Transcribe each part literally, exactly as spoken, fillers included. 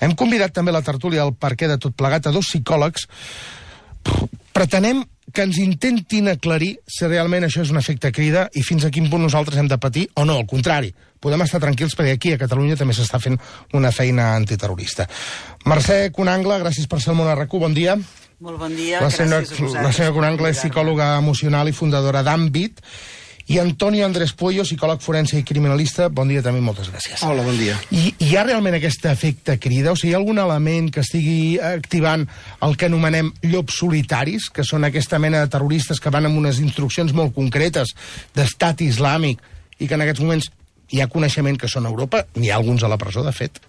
Hem convidat també a la tertúlia al perquè de tot plegat a dos psicòlegs. Pretenem que ens intentin aclarir si realment això és un efecte crida i fins a quin punt nosaltres hem de patir o no, al contrari. Podem estar tranquils perquè aquí a Catalunya també s'està fent una feina antiterrorista. Mercè Conangle, gràcies per ser al Món R Q, bon dia. Molt bon dia, la senyora, gràcies a vosaltres. La senyora Conangle és psicòloga emocional i fundadora d'Àmbit. I Antonio Andrés Pueyo, psicòleg forense i criminalista, bon dia també, moltes gràcies. Hola, bon dia. I hi ha realment aquest efecte crida? O sigui, hi ha algun element que estigui activant el que anomenem llops solitaris, que són aquesta mena de terroristes que van amb unes instruccions molt concretes d'estat islàmic i que en aquests moments hi ha coneixement que són a Europa? N'hi ha alguns a la presó, de fet?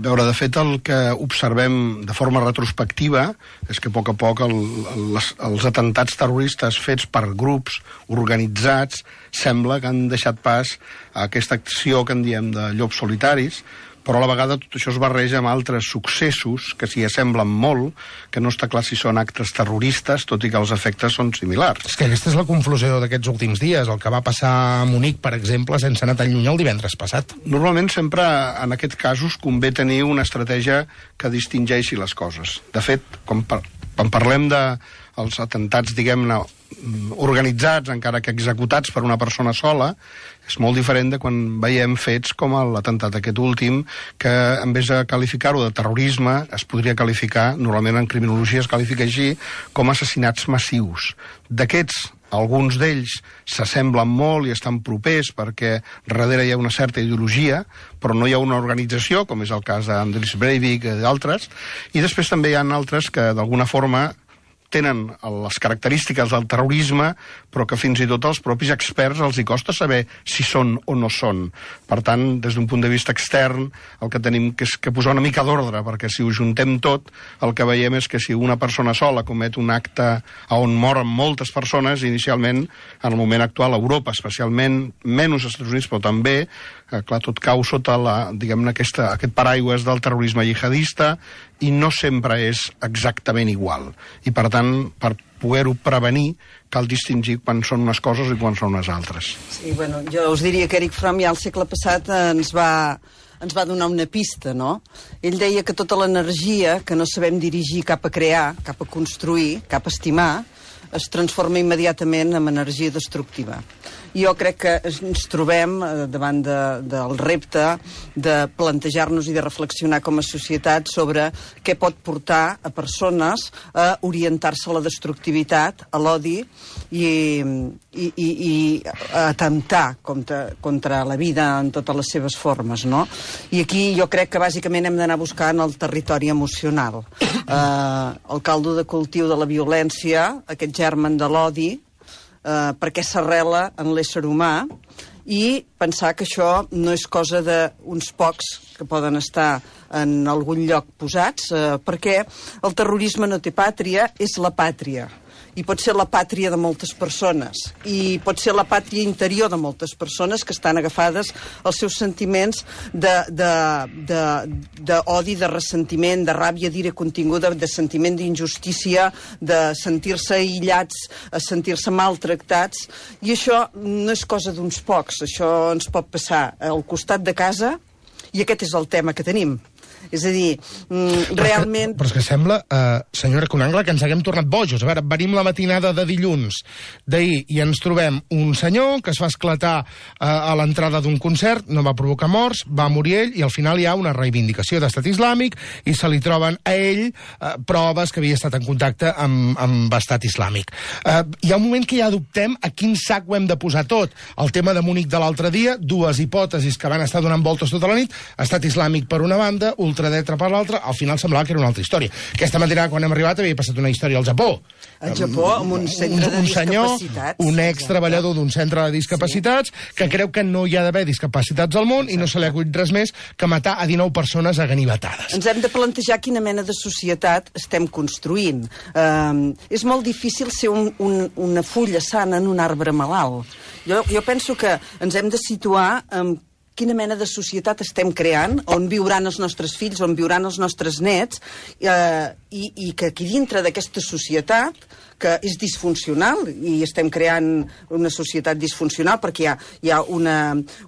A veure, de fet, el que observem de forma retrospectiva és que a poc a poc el, els, els atentats terroristes fets per grups organitzats sembla que han deixat pas a aquesta acció que en diem de llops solitaris, però a la vegada tot això es barreja amb altres successos que s'hi assemblen molt, que no està clar si són actes terroristes, tot i que els efectes són similars. És que aquesta és la conclusió d'aquests últims dies, el que va passar a Munic, per exemple, sense anar tan lluny el divendres passat. Normalment sempre en aquests casos convé tenir una estratègia que distingeixi les coses. De fet, quan, par quan parlem de els atentats, diguem-ne, organitzats, encara que executats per una persona sola, és molt diferent de quan veiem fets com l'atemptat aquest últim, que en vez de qualificar-ho de terrorisme, es podria qualificar, normalment en criminologia es qualifica així, com assassinats massius. D'aquests, alguns d'ells s'assemblen molt i estan propers perquè darrere hi ha una certa ideologia, però no hi ha una organització, com és el cas d'Andris Breivik i d'altres, i després també hi ha altres que d'alguna forma tenen les característiques del terrorisme, però que fins i tot als propis experts els hi costa saber si són o no són. Per tant, des d'un punt de vista extern, el que tenim que és que posar una mica d'ordre, perquè si ho juntem tot, el que veiem és que si una persona sola comet un acte on moren moltes persones, inicialment, en el moment actual, a Europa, especialment, menys als Estats Units, però també, eh, clar, tot cau sota la, diguem-ne, aquesta, aquest paraigües del terrorisme jihadista, i no sempre és exactament igual. I, per tant, per poder-ho prevenir, cal distingir quan són unes coses i quan són unes altres. Sí, bueno, jo us diria que Erich Fromm ja al segle passat ens va, ens va donar una pista, no? Ell deia que tota l'energia que no sabem dirigir cap a crear, cap a construir, cap a estimar, es transforma immediatament en energia destructiva. Jo crec que ens trobem davant de, del repte de plantejar-nos i de reflexionar com a societat sobre què pot portar a persones a orientar-se a la destructivitat, a l'odi i, i, i, i a atemptar contra, contra la vida en totes les seves formes, no? I aquí jo crec que bàsicament hem d'anar buscant el territori emocional. Eh, el caldo de cultiu de la violència, aquest germen de l'odi, Uh, perquè s'arrela en l'ésser humà i pensar que això no és cosa d'uns pocs que poden estar en algun lloc posats, uh, perquè el terrorisme no té pàtria, és la pàtria. I pot ser la pàtria de moltes persones. I pot ser la pàtria interior de moltes persones que estan agafades als seus sentiments d'odi, de, de, de, de ressentiment, de ràbia, d'ira continguda, de sentiment d'injustícia, de sentir-se aïllats, a sentir-se maltractats. I això no és cosa d'uns pocs. Això ens pot passar al costat de casa i aquest és el tema que tenim. És a dir, mm, realment... Però és que sembla, eh, senyora Conangle, que ens haguem tornat bojos. A veure, venim la matinada de dilluns d'ahir i ens trobem un senyor que es va esclatar eh, a l'entrada d'un concert, no va provocar morts, va morir ell, i al final hi ha una reivindicació d'estat islàmic i se li troben a ell eh, proves que havia estat en contacte amb, amb estat islàmic. Eh, hi ha un moment que ja dubtem a quin sac ho hem de posar tot. El tema de Munic de l'altre dia, dues hipòtesis que van estar donant voltes tota la nit, estat islàmic per una banda, ultradreta per l'altra, al final semblava que era una altra història. Aquesta matinada, quan hem arribat, havia passat una història al Japó. Al Japó, amb un centre de un senyor, discapacitats. un ex-treballador d'un centre de discapacitats, sí, que creu que no hi ha d'haver discapacitats al món. Exacte. I no se li ha acudit res més que matar a dinou persones a ganivetades. Ens hem de plantejar quina mena de societat estem construint. Uh, és molt difícil ser un, un, una fulla sana en un arbre malalt. Jo, jo penso que ens hem de situar en quina mena de societat estem creant, on viuran els nostres fills, on viuran els nostres nets, eh, i, i que aquí dintre d'aquesta societat, que és disfuncional, i estem creant una societat disfuncional perquè hi ha, hi ha una,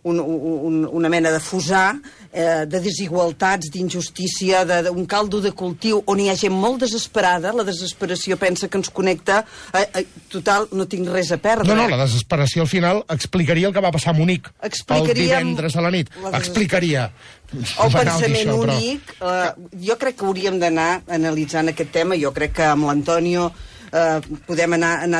un, un, una mena de fusar eh, de desigualtats, d'injustícia, d'un caldo de cultiu, on hi ha gent molt desesperada. La desesperació pensa que ens connecta. Eh, eh, total, no tinc res a perdre. No, no, la desesperació al final explicaria el que va passar a Munic el divendres a la nit. La explicaria. El pensament això, únic. Però... Eh, jo crec que hauríem d'anar analitzant aquest tema. Jo crec que amb l'Antonio Uh, podem anar, anar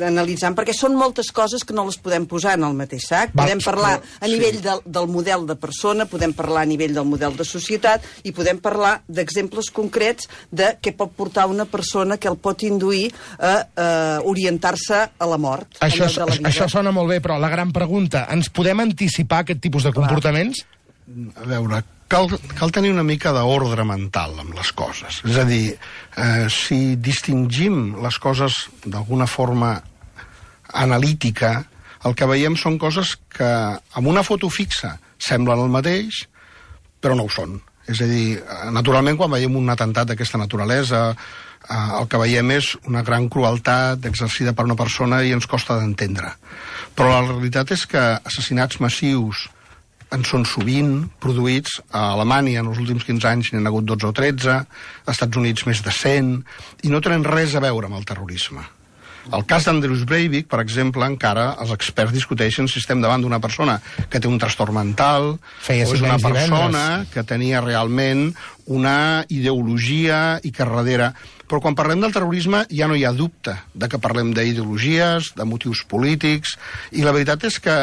analitzant, perquè són moltes coses que no les podem posar en el mateix sac. Va, podem parlar a nivell sí. del, del model de persona, podem parlar a nivell del model de societat, i podem parlar d'exemples concrets de què pot portar una persona que el pot induir a uh, orientar-se a la mort. Això, la això sona molt bé, però la gran pregunta, ens podem anticipar aquest tipus de comportaments? A veure, cal, cal tenir una mica d'ordre mental amb les coses. És a dir, eh, si distingim les coses d'alguna forma analítica, el que veiem són coses que amb una foto fixa semblen el mateix, però no ho són. És a dir, naturalment, quan veiem un atemptat d'aquesta naturalesa, eh, el que veiem és una gran crueltat exercida per una persona i ens costa d'entendre. Però la realitat és que assassinats massius en són sovint produïts a Alemanya. En els últims quinze anys n'hi ha hagut dotze o tretze, als Estats Units més de cent, i no tenen res a veure amb el terrorisme. El cas d'Andreas Breivik, per exemple, encara els experts discuteixen si estem davant d'una persona que té un trastorn mental, Feia o és una persona divendres. que tenia realment una ideologia i que darrere... Però quan parlem del terrorisme ja no hi ha dubte de que parlem d'ideologies, de motius polítics, i la veritat és que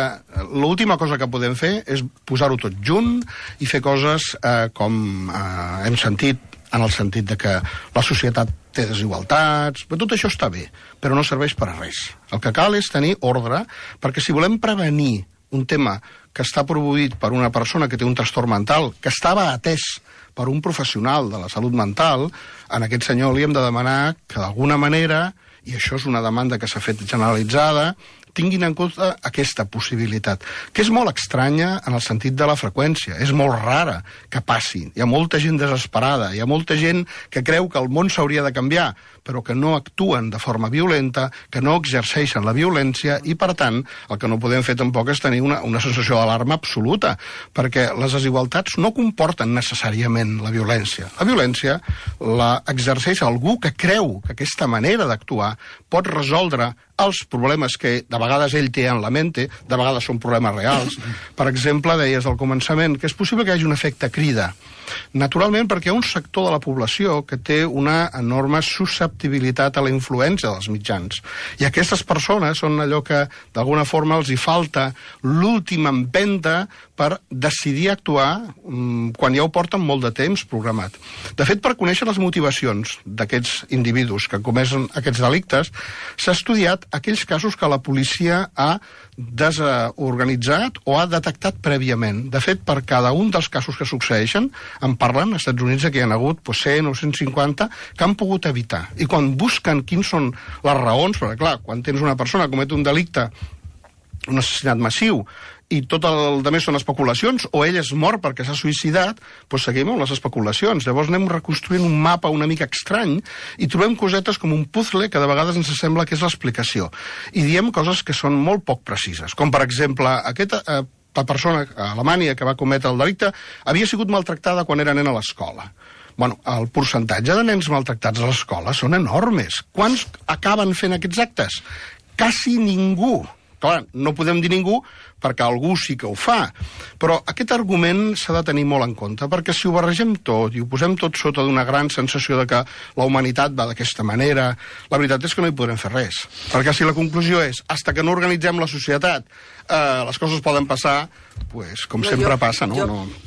l'última cosa que podem fer és posar-ho tot junt i fer coses eh, com eh, hem sentit, en el sentit de que la societat té desigualtats, però tot això està bé, però no serveix per a res. El que cal és tenir ordre, perquè si volem prevenir un tema que està produït per una persona que té un trastorn mental, que estava atès per un professional de la salut mental, a aquest senyor li hem de demanar que d'alguna manera, i això és una demanda que s'ha fet generalitzada, tinguin en compte aquesta possibilitat, que és molt estranya en el sentit de la freqüència. És molt rara que passi. Hi ha molta gent desesperada, hi ha molta gent que creu que el món s'hauria de canviar, però que no actuen de forma violenta, que no exerceixen la violència, i, per tant, el que no podem fer tampoc és tenir una, una sensació d'alarma absoluta, perquè les desigualtats no comporten necessàriament la violència. La violència la exerceix algú que creu que aquesta manera d'actuar pot resoldre els problemes que de vegades ell té en la mente, de vegades són problemes reals. Per exemple, deies al començament que és possible que hi hagi un efecte crida. Naturalment, perquè hi ha un sector de la població que té una enorme susceptibilitat a la influència dels mitjans. I aquestes persones són allò que d'alguna forma els hi falta l'última empenta per decidir actuar um, quan ja ho porten molt de temps programat. De fet, per conèixer les motivacions d'aquests individus que cometen aquests delictes, s'ha estudiat aquells casos que la policia ha desorganitzat o ha detectat prèviament. De fet, per cada un dels casos que succeeixen, en parlen als Estats Units que hi ha hagut pues, cent o cent cinquanta que han pogut evitar. I quan busquen quins són les raons, perquè clar, quan tens una persona que comet un delicte, un assassinat massiu, i tot el de més són especulacions, o ell és mort perquè s'ha suïcidat, doncs seguim amb les especulacions. Llavors anem reconstruint un mapa una mica estrany i trobem cosetes com un puzzle que de vegades ens sembla que és l'explicació. I diem coses que són molt poc precises, com per exemple, aquesta eh, la persona a Alemanya que va cometre el delicte havia sigut maltractada quan era nen a l'escola. Bueno, el percentatge de nens maltractats a l'escola són enormes. Quants acaben fent aquests actes? Quasi ningú. Clar, no podem dir ningú perquè algú sí que ho fa, però aquest argument s'ha de tenir molt en compte, perquè si ho barregem tot i ho posem tot sota d'una gran sensació de que la humanitat va d'aquesta manera, la veritat és que no hi podrem fer res, perquè si la conclusió és hasta que no organitzem la societat eh, les coses poden passar, pues, com no, sempre jo, passa, no? Jo... no...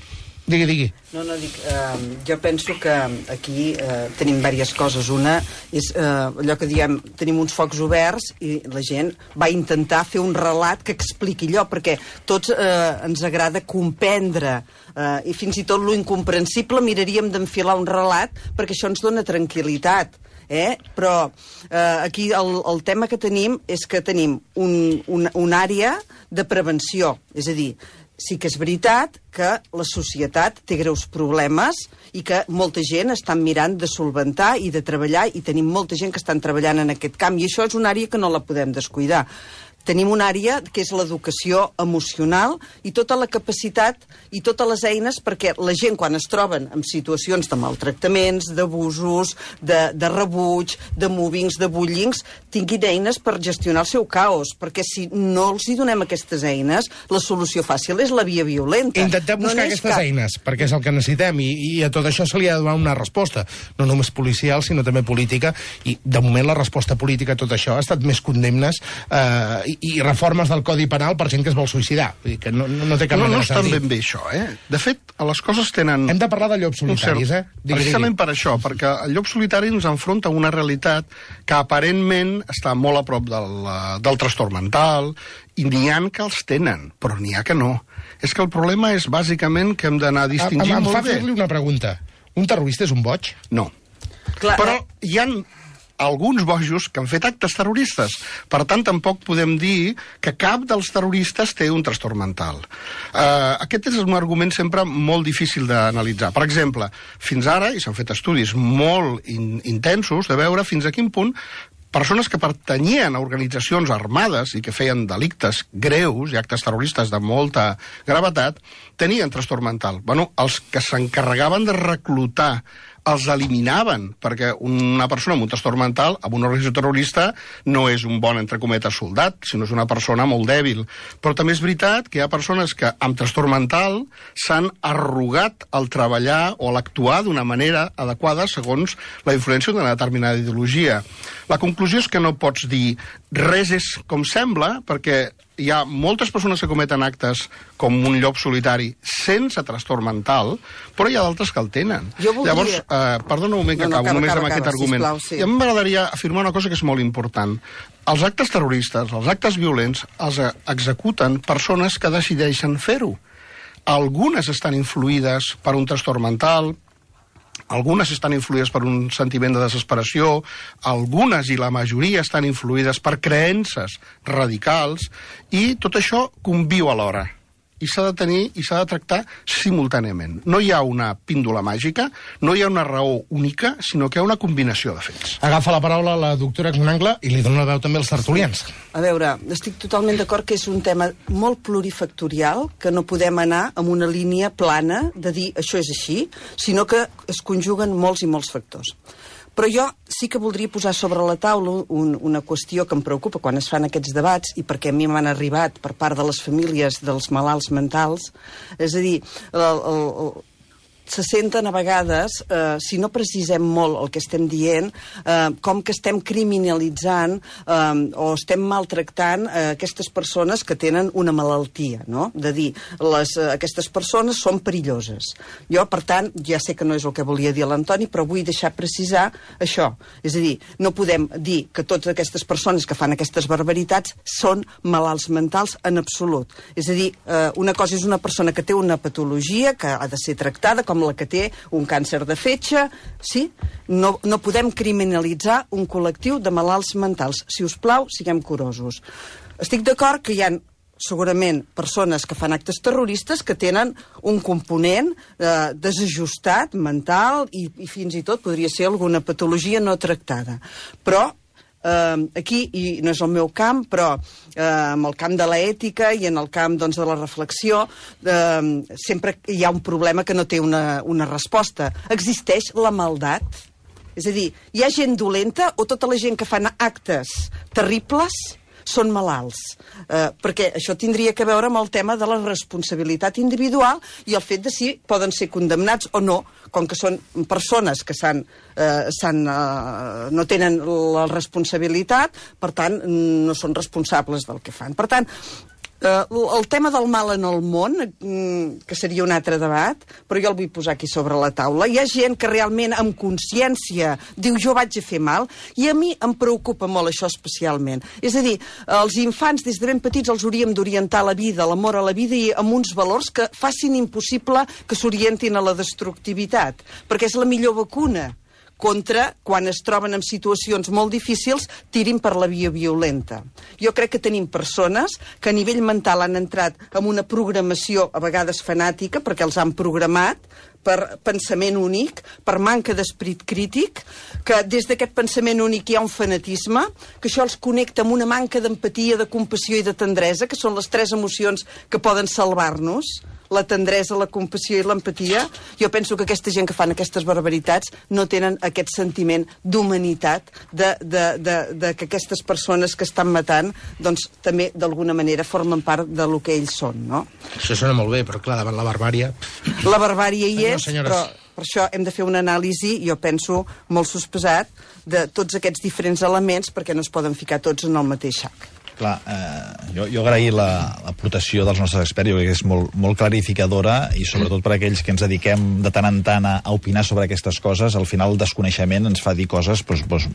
Digui, digui. No, no, dic, eh, jo penso que aquí eh, tenim diverses coses. Una és eh, allò que diem, tenim uns focs oberts i la gent va intentar fer un relat que expliqui allò, perquè tots eh, ens agrada comprendre eh, i fins i tot lo incomprensible miraríem d'enfilar un relat perquè això ens dona tranquil·litat. Eh? Però eh, aquí el, el tema que tenim és que tenim un, un, una àrea de prevenció, és a dir, sí que és veritat que la societat té greus problemes i que molta gent està mirant de solventar i de treballar, i tenim molta gent que estan treballant en aquest camp, i això és una àrea que no la podem descuidar. Tenim una àrea que és l'educació emocional i tota la capacitat i totes les eines perquè la gent, quan es troben en situacions de maltractaments, d'abusos, de, de rebuig, de movings, de bullings, tinguin eines per gestionar el seu caos, perquè si no els hi donem aquestes eines, la solució fàcil és la via violenta. Intentem buscar no aquestes cap... eines, perquè és el que necessitem, i, i a tot això se li ha de donar una resposta, no només policial, sinó també política, i de moment la resposta política a tot això ha estat més condemnes eh, i, i reformes del Codi Penal per gent que es vol suïcidar. Vull dir que no, no té cap no, manera no de sentir. No estan ben bé això, eh? De fet, les coses tenen... Hem de parlar de llops solitaris, cert... eh? Digui, Precisament digui. per això, perquè el llop solitari ens enfronta a una realitat que aparentment està molt a prop del, del trastorn mental, i n'hi ha que els tenen, però n'hi ha que no. És que el problema és bàsicament que hem d'anar distingint em, em molt fa bé. fer-li una pregunta. Un terrorista és un boig? No. Clar, però hi ha alguns bojos que han fet actes terroristes. Per tant, tampoc podem dir que cap dels terroristes té un trastorn mental. Uh, aquest és un argument sempre molt difícil d'analitzar. Per exemple, fins ara, i s'han fet estudis molt in intensos de veure fins a quin punt persones que pertanyien a organitzacions armades i que feien delictes greus i actes terroristes de molta gravetat, tenien trastorn mental. Bueno, els que s'encarregaven de reclutar els eliminaven, perquè una persona amb un trastorn mental, amb una organització terrorista, no és un bon, entre cometes, soldat, sinó és una persona molt dèbil. Però també és veritat que hi ha persones que amb trastorn mental s'han arrogat al treballar o a l'actuar d'una manera adequada segons la influència d'una determinada ideologia. La conclusió és que no pots dir res és com sembla, perquè hi ha moltes persones que cometen actes com un llop solitari sense trastorn mental, però hi ha d'altres que el tenen. Jo voldria... Llavors, eh, perdona un moment que no, no, acabo, acaba, només acaba, amb aquest acaba, argument. sisplau, sí. I a mi m'agradaria afirmar una cosa que és molt important. Els actes terroristes, els actes violents, els executen persones que decideixen fer-ho. Algunes estan influïdes per un trastorn mental, algunes estan influïdes per un sentiment de desesperació, algunes i la majoria estan influïdes per creences radicals, i tot això conviu alhora. I s'ha de tenir i s'ha de tractar simultàniament. No hi ha una píndola màgica, no hi ha una raó única, sinó que hi ha una combinació de fets. Agafa la paraula la doctora Conangle i li dona la veu també als tertulians. A veure, estic totalment d'acord que és un tema molt plurifactorial, que no podem anar amb una línia plana de dir això és així, sinó que es conjuguen molts i molts factors. Però jo sí que voldria posar sobre la taula un, una qüestió que em preocupa quan es fan aquests debats, i perquè a mi m'han arribat per part de les famílies dels malalts mentals, és a dir, el, el, el, se senten a vegades, eh, si no precisem molt el que estem dient, eh, com que estem criminalitzant eh, o estem maltractant eh, aquestes persones que tenen una malaltia, no? De dir, les, eh, aquestes persones són perilloses. Jo, per tant, ja sé que no és el que volia dir l'Antoni, però vull deixar precisar això. És a dir, no podem dir que totes aquestes persones que fan aquestes barbaritats són malalts mentals en absolut. És a dir, eh, una cosa és una persona que té una patologia que ha de ser tractada com la que té un càncer de fetge, sí? No, no podem criminalitzar un col·lectiu de malalts mentals. Si us plau, siguem curosos. Estic d'acord que hi ha segurament persones que fan actes terroristes que tenen un component eh, desajustat, mental, i, i fins i tot podria ser alguna patologia no tractada. Però Uh, aquí, i no és el meu camp, però uh, en el camp de l'ètica i en el camp, doncs, de la reflexió, uh, sempre hi ha un problema que no té una, una resposta. Existeix la maldat? És a dir, hi ha gent dolenta o tota la gent que fan actes terribles són malalts? Eh, perquè això tindria que veure amb el tema de la responsabilitat individual i el fet de si poden ser condemnats o no, com que són persones que s'han, eh, s'han, eh, no tenen la responsabilitat, per tant, no són responsables del que fan. Per tant, Uh, el tema del mal en el món, mm, que seria un altre debat, però jo el vull posar aquí sobre la taula. Hi ha gent que realment amb consciència diu jo vaig a fer mal, i a mi em preocupa molt això especialment. És a dir, els infants des de ben petits els hauríem d'orientar a la vida, a l'amor a la vida, i amb uns valors que facin impossible que s'orientin a la destructivitat, perquè és la millor vacuna contra, quan es troben en situacions molt difícils, tirin per la via violenta. Jo crec que tenim persones que a nivell mental han entrat en una programació, a vegades fanàtica, perquè els han programat, per pensament únic, per manca d'esperit crític, que des d'aquest pensament únic hi ha un fanatisme, que això els connecta amb una manca d'empatia, de compassió i de tendresa, que són les tres emocions que poden salvar-nos, la tendresa, la compassió i l'empatia. Jo penso que aquesta gent que fan aquestes barbaritats no tenen aquest sentiment d'humanitat, de, de, de, de que aquestes persones que estan matant, doncs també d'alguna manera formen part de lo que ells són, no? Això sona molt bé, però clar, davant la barbària... La barbària hi és, no, però per això hem de fer una anàlisi, jo penso, molt sospesat, de tots aquests diferents elements, perquè no es poden ficar tots en el mateix sac. Clar, eh, jo, jo agrair l'aportació dels nostres experts, jo crec que és molt, molt clarificadora, i sobretot per aquells que ens dediquem de tant en tant a, a opinar sobre aquestes coses, al final el desconeixement ens fa dir coses doncs, doncs,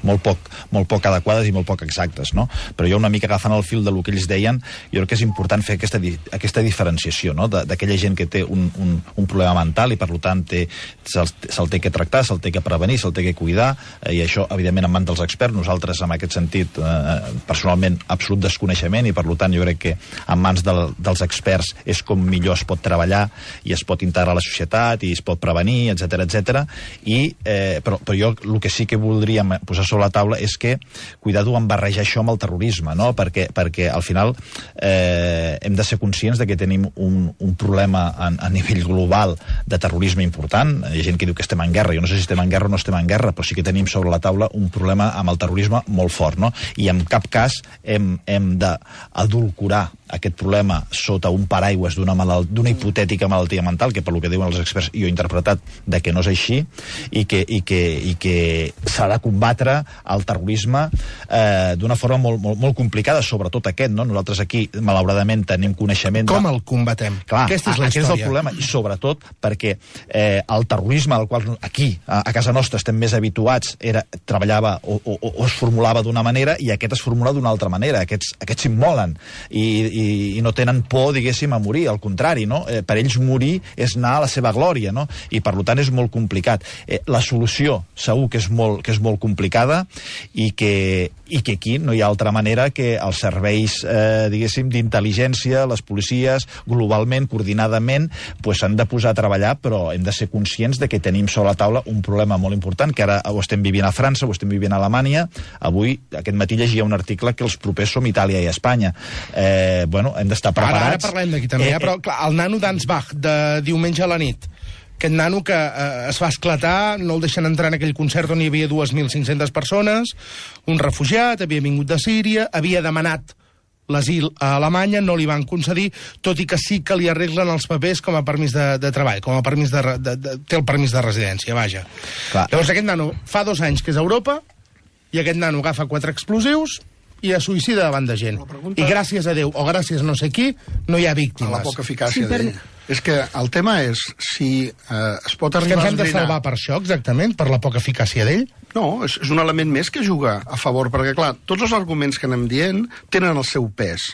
molt, poc, molt poc adequades i molt poc exactes, no? Però jo una mica agafant el fil del que ells deien, jo crec que és important fer aquesta, aquesta diferenciació, no? D'aquella gent que té un, un, un problema mental i per tant se'l se té que tractar, se'l té que prevenir, se'l té que cuidar, eh, i això evidentment en mans dels experts. Nosaltres en aquest sentit eh, personalment absolut desconeixement, i per tant jo crec que en mans del, dels experts és com millor es pot treballar i es pot integrar a la societat i es pot prevenir, etcètera, etcètera. I, eh, però, però jo el que sí que voldríem posar sobre la taula és que cuidado en barrejar això amb el terrorisme, no? Perquè, perquè al final eh, hem de ser conscients de que tenim un, un problema a, a nivell global de terrorisme important. Hi ha gent que diu que estem en guerra, jo no sé si estem en guerra o no estem en guerra, però sí que tenim sobre la taula un problema amb el terrorisme molt fort, no? I en cap cas hem, hem d'adulcorar aquest problema sota un paraigües d'una d'una hipotètica malaltia mental, que per lo que diuen els experts jo he interpretat de que no és així, i que, i que, i que s'ha de combatre el terrorisme eh, d'una forma molt, molt, molt complicada, sobretot aquest, no? Nosaltres aquí, malauradament, tenim coneixement... Com de... el combatem? Clar, Aquesta és la aquest història. és el problema, i sobretot perquè eh, el terrorisme al qual aquí, a, a casa nostra, estem més habituats, era, treballava o, o, o es formulava d'una manera, i aquest es formula d'una altra manera. Aquests, aquests s'immolen i, i, i no tenen por, diguéssim, a morir, al contrari, no? Eh, per ells morir és anar a la seva glòria, no? I per tant és molt complicat. Eh, la solució segur que és molt, que és molt complicada, i que, i que aquí no hi ha altra manera que els serveis, eh, diguéssim, d'intel·ligència, les policies, globalment, coordinadament, pues, s'han de posar a treballar, però hem de ser conscients de que tenim sobre la taula un problema molt important, que ara ho estem vivint a França, ho estem vivint a Alemanya. Avui, aquest matí, llegia un article que els propers som Itàlia i Espanya. Eh, bueno, hem d'estar preparats. Ara, ara parlem d'aquí també, eh, eh, però clar, el nano d'Ansbach de diumenge a la nit, aquest nano que eh, es va esclatar, no el deixen entrar en aquell concert on hi havia dues mil cinc-centes persones, un refugiat, havia vingut de Síria, havia demanat l'asil a Alemanya, no li van concedir, tot i que sí que li arreglen els papers com a permís de, de treball, com a permís de, de, de... té el permís de residència, vaja. Clar. Llavors aquest nano fa dos anys que és a Europa, i aquest nano agafa quatre explosius i es suïcida davant de gent. Pregunta... I gràcies a Déu, o gràcies a no sé qui, no hi ha víctimes. A la poca eficàcia sí, per... d'ell. És que el tema és si eh, es pot arribar a... És que ens hem de esbrinar... salvar per això, exactament, per la poca eficàcia d'ell? No, és, és un element més que juga a favor, perquè, clar, tots els arguments que anem dient tenen el seu pes.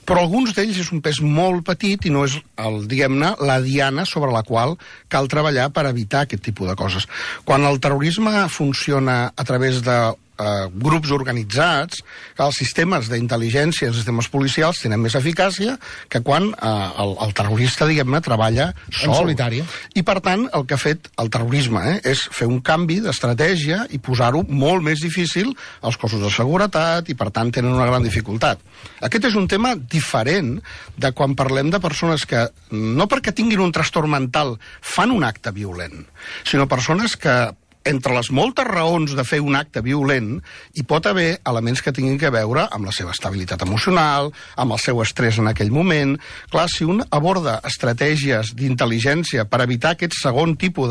Però alguns d'ells és un pes molt petit i no és, el, diguem-ne, la diana sobre la qual cal treballar per evitar aquest tipus de coses. Quan el terrorisme funciona a través de Uh, grups organitzats, que els sistemes d'intel·ligència, els sistemes policials tenen més eficàcia que quan uh, el, el terrorista, diguem-ne, treballa sol. En solitari. I per tant, el que ha fet el terrorisme eh, és fer un canvi d'estratègia i posar-ho molt més difícil als cossos de seguretat, i per tant tenen una gran dificultat. Aquest és un tema diferent de quan parlem de persones que, no perquè tinguin un trastorn mental, fan un acte violent, sinó persones que entre les moltes raons de fer un acte violent hi pot haver elements que tinguin a veure amb la seva estabilitat emocional, amb el seu estrès en aquell moment. Clar, si un aborda estratègies d'intel·ligència per evitar aquest segon tipus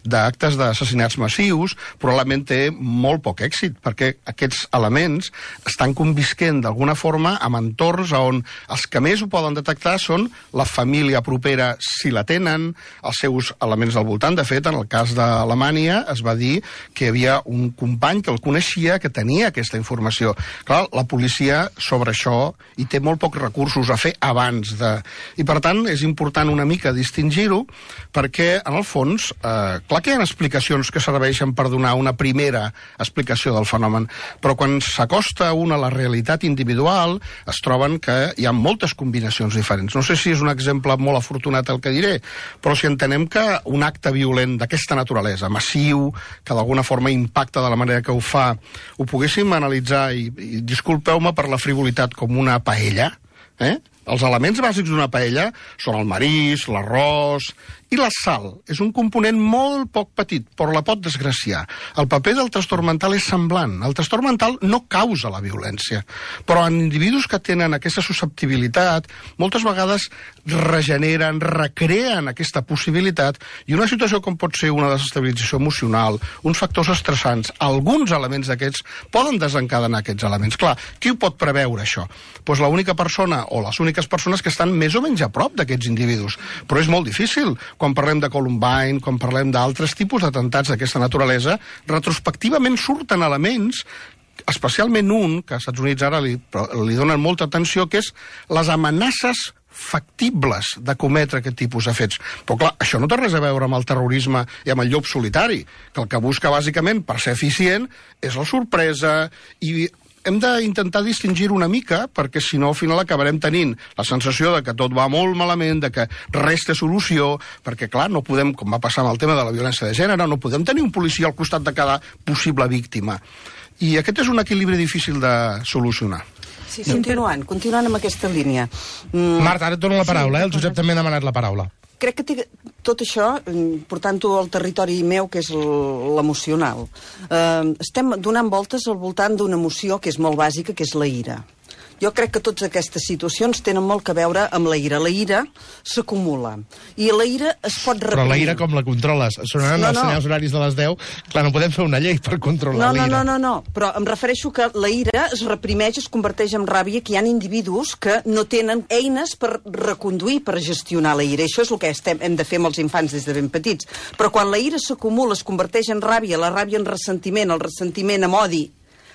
d'actes d'assassinats massius, probablement té molt poc èxit, perquè aquests elements estan convisquent d'alguna forma amb entorns on els que més ho poden detectar són la família propera, si la tenen, els seus elements al voltant. De fet, en el cas d'Alemanya es va va dir que hi havia un company que el coneixia, que tenia aquesta informació. Clar, la policia sobre això hi té molt pocs recursos a fer abans de... I per tant és important una mica distingir-ho, perquè en el fons, eh, clar que hi ha explicacions que serveixen per donar una primera explicació del fenomen, però quan s'acosta un a la realitat individual es troben que hi ha moltes combinacions diferents. No sé si és un exemple molt afortunat el que diré, però si entenem que un acte violent d'aquesta naturalesa, massiu, que d'alguna forma impacta de la manera que ho fa, ho poguéssim analitzar, i, i disculpeu-me per la frivolitat, com una paella, eh? Els elements bàsics d'una paella són el marís, l'arròs i la sal. És un component molt poc petit, però la pot desgraciar. El paper del trastorn mental és semblant. El trastorn mental no causa la violència, però en individus que tenen aquesta susceptibilitat, moltes vegades regeneren, recreen aquesta possibilitat, i una situació com pot ser una desestabilització emocional, uns factors estressants, alguns elements d'aquests poden desencadenar aquests elements. Clar, qui ho pot preveure, això? Doncs l'única persona o les úniques persones que estan més o menys a prop d'aquests individus. Però és molt difícil. Quan parlem de Columbine, quan parlem d'altres tipus d'atemptats d'aquesta naturalesa, retrospectivament surten elements, especialment un, que als Estats Units ara li, li donen molta atenció, que és les amenaces factibles de cometre aquest tipus de fets. Però clar, això no té res a veure amb el terrorisme i amb el llop solitari, que el que busca bàsicament, per ser eficient, és la sorpresa, i hem d'intentar distingir una mica, perquè si no al final acabarem tenint la sensació de que tot va molt malament, de que res té solució, perquè clar, no podem, com va passar amb el tema de la violència de gènere, no podem tenir un policia al costat de cada possible víctima. I aquest és un equilibri difícil de solucionar. Sí, sí, continuant, continuant amb aquesta línia. Mm. Marta, ara et dono la paraula, eh? El Josep també ha demanat la paraula. Crec que té tot això, portant-ho al territori meu, que és l'emocional. Eh, estem donant voltes al voltant d'una emoció que és molt bàsica, que és la ira. Jo crec que totes aquestes situacions tenen molt que veure amb la ira. La ira s'acumula. I la ira es pot reprimir. Però la ira com la controles? Sonaran no, no. els senyals horaris de les deu. Clar, no podem fer una llei per controlar no, no, l'ira. No, no, no, no. Però em refereixo que la ira es reprimeix, es converteix en ràbia, que hi ha individus que no tenen eines per reconduir, per gestionar la ira. I això és el que estem, hem de fer amb els infants des de ben petits. Però quan la ira s'acumula, es converteix en ràbia, la ràbia en ressentiment, el ressentiment en odi,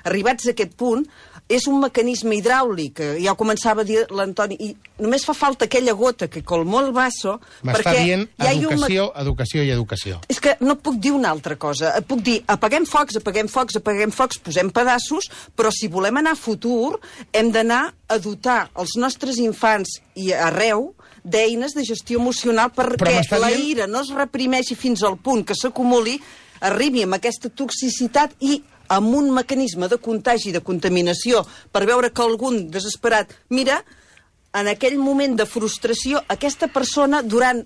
arribats a aquest punt, és un mecanisme hidràulic, ja ho començava a dir l'Antoni, i només fa falta aquella gota que colmó el vaso, m'està perquè dient hi ha educació, un... educació i educació. És que no puc dir una altra cosa. Puc dir, apaguem focs, apaguem focs, apaguem focs, posem pedaços, però si volem anar a futur, hem d'anar a dotar els nostres infants i arreu d'eines de gestió emocional perquè la dient... ira no es reprimeixi fins al punt que s'acumuli, arribi amb aquesta toxicitat i amb un mecanisme de contagi, de contaminació, per veure que algun desesperat... Mira, en aquell moment de frustració, aquesta persona durant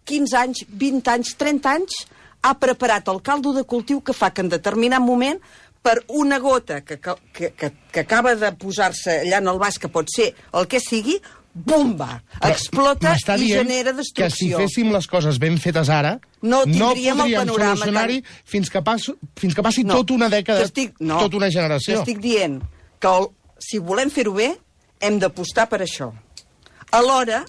quinze anys, vint anys, trenta anys, ha preparat el caldo de cultiu que fa que en determinat moment, per una gota que, que, que, que acaba de posar-se allà en el vas, que pot ser el que sigui, bomba! Explota i genera destrucció. Que si féssim les coses ben fetes ara, no, no podríem solucionar-hi tan... fins, que passi, fins que passi no, tota una dècada, estic, no, tota una generació. T'estic dient que el, si volem fer-ho bé, hem d'apostar per això. Alhora,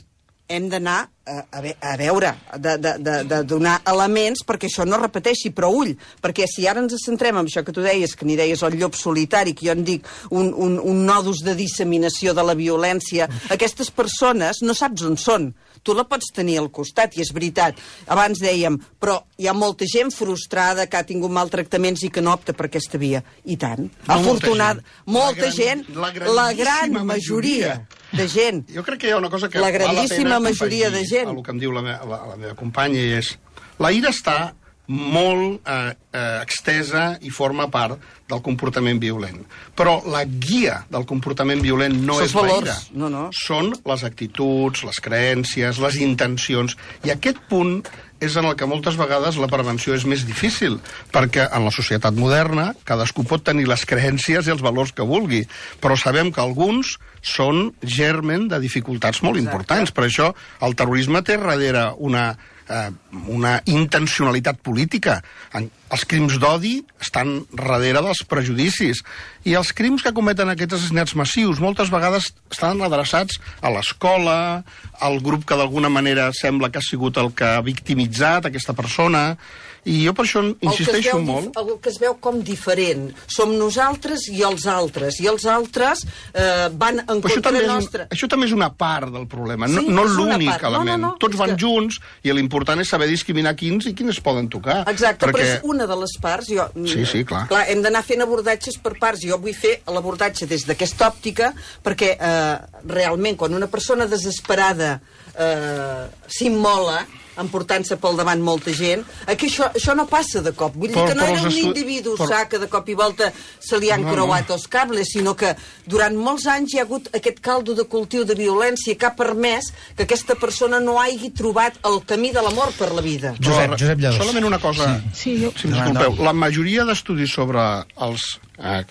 hem d'anar a, a, a veure, de, de, de, de donar elements perquè això no repeteixi, però ull, perquè si ara ens centrem en això que tu deies, que n'hi deies el llop solitari, que jo en dic un, un, un nodus de disseminació de la violència, aquestes persones no saps on són. Tu la pots tenir al costat, i és veritat. Abans dèiem, però hi ha molta gent frustrada que ha tingut maltractaments i que no opta per aquesta via. I tant. No, afortunada. Molta gent, la, gent la gran majoria de gent. Jo crec que hi ha una cosa que la grandíssima val la pena majoria de gent. el que em diu la, me, la, la meva companya, és la ira està molt eh, eh, extesa i forma part del comportament violent. Però la guia del comportament violent no Són és la valors. ira. No, no. Són les actituds, les creences, les intencions. I aquest punt és en el que moltes vegades la prevenció és més difícil, perquè en la societat moderna cadascú pot tenir les creences i els valors que vulgui, però sabem que alguns són germen de dificultats molt Exacte. importants. Per això el terrorisme té darrere una, eh, una intencionalitat política. En, els crims d'odi estan darrere dels prejudicis, i els crims que cometen aquests assassinats massius moltes vegades estan adreçats a l'escola, al grup que d'alguna manera sembla que ha sigut el que ha victimitzat aquesta persona, I jo per això insisteixo el molt... El que es veu com diferent. Som nosaltres i els altres. I els altres eh, van en contra nostra. Un, això també és una part del problema, sí, no, no l'únic element. No, no, no. Tots van que... junts i l'important és saber discriminar quins i quins poden tocar. Exacte, perquè... però és una de les parts. Jo, sí, sí, clar. clar hem d'anar fent abordatges per parts. Jo vull fer l'abordatge des d'aquesta òptica perquè eh, realment quan una persona desesperada eh, s'immola emportant-se pel davant molta gent, aquí això, això no passa de cop. Vull dir per, que no era un estu... individu per... sa que de cop i volta se li han no, creuat no. els cables, sinó que durant molts anys hi ha hagut aquest caldo de cultiu de violència que ha permès que aquesta persona no hagi trobat el camí de l'amor per la vida. Josep, Josep Lladós. Solament una cosa, sí. Sí, jo... si m'escolteu. La majoria d'estudis sobre els eh,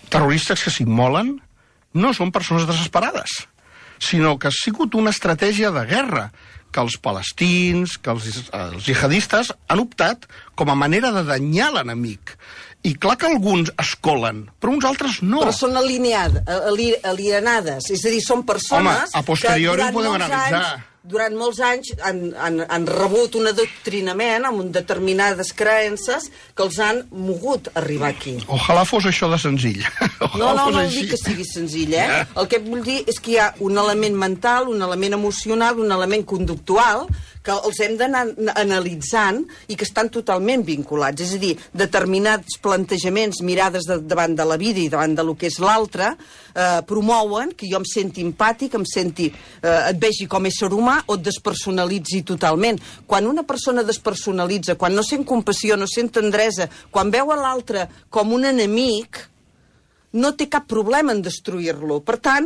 terroristes que s'immolen no són persones desesperades, sinó que ha sigut una estratègia de guerra que els palestins, que els, els jihadistes han optat com a manera de danyar l'enemic. I clar que alguns es colen, però uns altres no. Però són alineades, alienades, és a dir, són persones... Home, a posteriori ho podem analitzar. Anys, durant molts anys han, han, han rebut un adoctrinament amb determinades creences que els han mogut arribar aquí. Ojalà fos això de senzill. No, no, no dic que sigui senzill, eh? Yeah. El que vull dir és que hi ha un element mental, un element emocional, un element conductual que els hem d'anar analitzant i que estan totalment vinculats. És a dir, determinats plantejaments, mirades de, davant de la vida i davant de lo que és l'altre, eh, promouen que jo em senti empàtic, em senti, eh, et vegi com a ésser humà o et despersonalitzi totalment. Quan una persona despersonalitza, quan no sent compassió, no sent tendresa, quan veu a l'altre com un enemic, no té cap problema en destruir-lo. Per tant,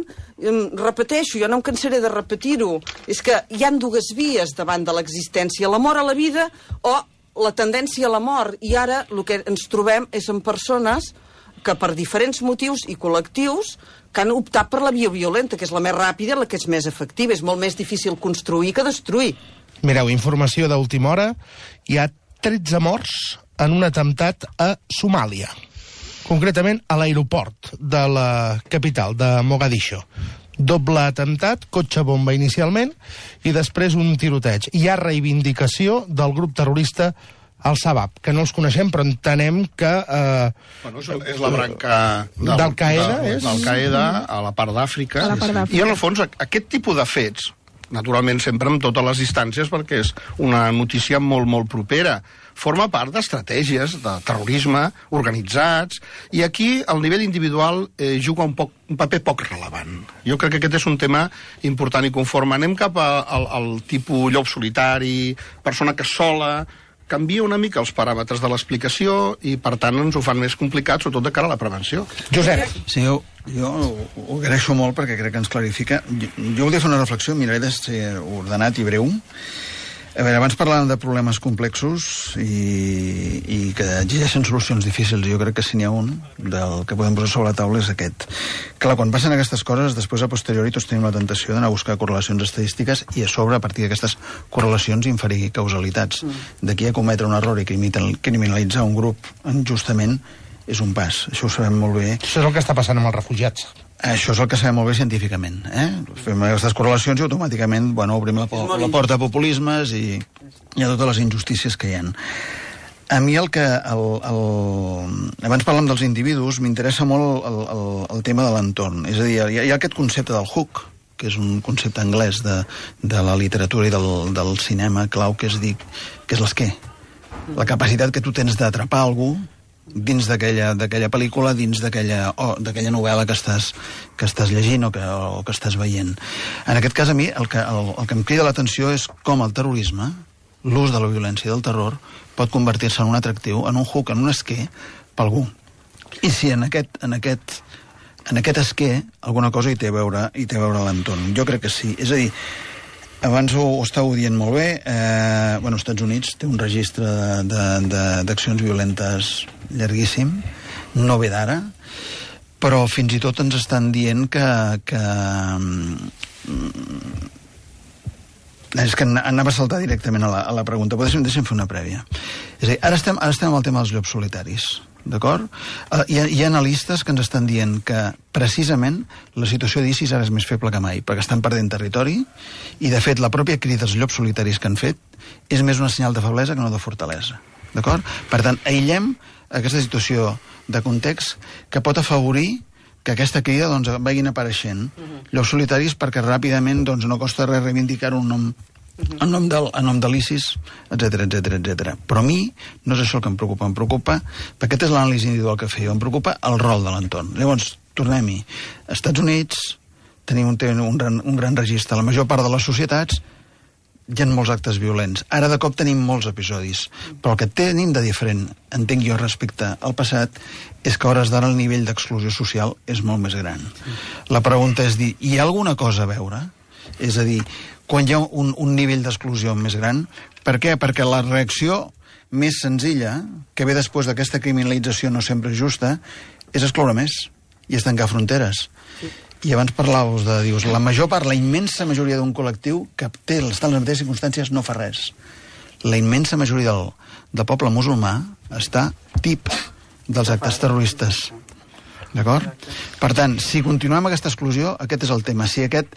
repeteixo, jo no em cansaré de repetir-ho, és que hi ha dues vies davant de l'existència, l'amor a la vida o la tendència a la mort. I ara el que ens trobem és en persones que per diferents motius i col·lectius que han optat per la via violenta, que és la més ràpida, la que és més efectiva. És molt més difícil construir que destruir. Mireu, informació d'última hora. Hi ha tretze morts en un atemptat a Somàlia. Concretament a l'aeroport de la capital, de Mogadiscio. Doble atemptat, cotxe bomba inicialment, i després un tiroteig. Hi ha reivindicació del grup terrorista Al-Shabaab, que no els coneixem, però entenem que... Eh, bueno, és, és la branca del, d'Al-Qaeda, de, és? d'Al-Qaeda a la part d'Àfrica. I en el fons, aquest tipus de fets, naturalment sempre amb totes les distàncies, perquè és una notícia molt, molt propera, forma part d'estratègies de terrorisme organitzats, i aquí el nivell individual eh, juga un, poc, un paper poc relevant. Jo crec que aquest és un tema important i conforme anem cap a, al, al tipus llop solitari, persona que sola, canvia una mica els paràmetres de l'explicació i, per tant, ens ho fan més complicat, sobretot de cara a la prevenció. Josep. Sí, jo, jo ho agraeixo molt perquè crec que ens clarifica. Jo, jo volia fer una reflexió, miraré de ser ordenat i breu. A veure, abans parlàvem de problemes complexos i, i que exigeixen solucions difícils. Jo crec que si n'hi ha un del que podem posar sobre la taula és aquest. Clar, quan passen aquestes coses, després a posteriori tots tenim la tentació d'anar a buscar correlacions estadístiques i a sobre, a partir d'aquestes correlacions, inferir causalitats. D'aquí a cometre un error i criminalitzar un grup injustament és un pas. Això ho sabem molt bé. Això és el que està passant amb els refugiats. Això és el que sabem molt bé científicament. Eh? Fem aquestes correlacions i automàticament bueno, obrim la, po la porta a populismes i, i a totes les injustícies que hi ha. A mi el que... El, el... Abans parlem dels individus, m'interessa molt el, el, el tema de l'entorn. És a dir, hi ha, hi ha aquest concepte del hook, que és un concepte anglès de, de la literatura i del, del cinema clau, que és, dir, que és l'esquer. La capacitat que tu tens d'atrapar algú dins d'aquella pel·lícula, dins d'aquella oh, novel·la que estàs, que estàs llegint o que, o que estàs veient. En aquest cas, a mi, el que, el, el que em crida l'atenció és com el terrorisme, l'ús de la violència del terror, pot convertir-se en un atractiu, en un hook, en un esquer, per algú. I si en aquest, en aquest, en aquest esquer alguna cosa hi té a veure, hi té a veure l'entorn. Jo crec que sí. És a dir, abans ho, ho estàveu dient molt bé, eh, bueno, als Estats Units té un registre d'accions violentes llarguíssim, no ve d'ara, però fins i tot ens estan dient que... que és que anava a saltar directament a la, a la pregunta, però deixa'm, deixa'm fer una prèvia. És a dir, ara estem, ara estem amb el tema dels llops solitaris, d'acord? Uh, hi, ha, hi ha analistes que ens estan dient que precisament la situació d'ISIS ara és més feble que mai, perquè estan perdent territori i, de fet, la pròpia crida dels llops solitaris que han fet és més una senyal de feblesa que no de fortalesa. d'acord? Per tant, aïllem aquesta situació de context que pot afavorir que aquesta crida doncs, vagin apareixent uh-huh. llocs solitaris perquè ràpidament doncs, no costa res reivindicar un nom uh-huh. en nom del, en nom de l'ISIS, etcètera, etcètera, etcètera. Però a mi no és això el que em preocupa, em preocupa, perquè aquest és l'anàlisi individual que feia, em preocupa el rol de l'entorn. Llavors, tornem-hi. Als Estats Units tenim un, un, gran, un gran registre. La major part de les societats hi ha molts actes violents. Ara de cop tenim molts episodis. Però el que tenim de diferent, entenc jo, respecte al passat, és que a hores d'ara el nivell d'exclusió social és molt més gran. La pregunta és dir, hi ha alguna cosa a veure? És a dir, quan hi ha un, un nivell d'exclusió més gran, per què? Perquè la reacció més senzilla, que ve després d'aquesta criminalització no sempre justa, és excloure més i és tancar fronteres. I abans parlàveu de, dius, la major part, la immensa majoria d'un col·lectiu que té, està en les mateixes circumstàncies, no fa res. La immensa majoria del, del poble musulmà està tip dels actes terroristes. D'acord? Per tant, si continuem amb aquesta exclusió, aquest és el tema. Si aquest,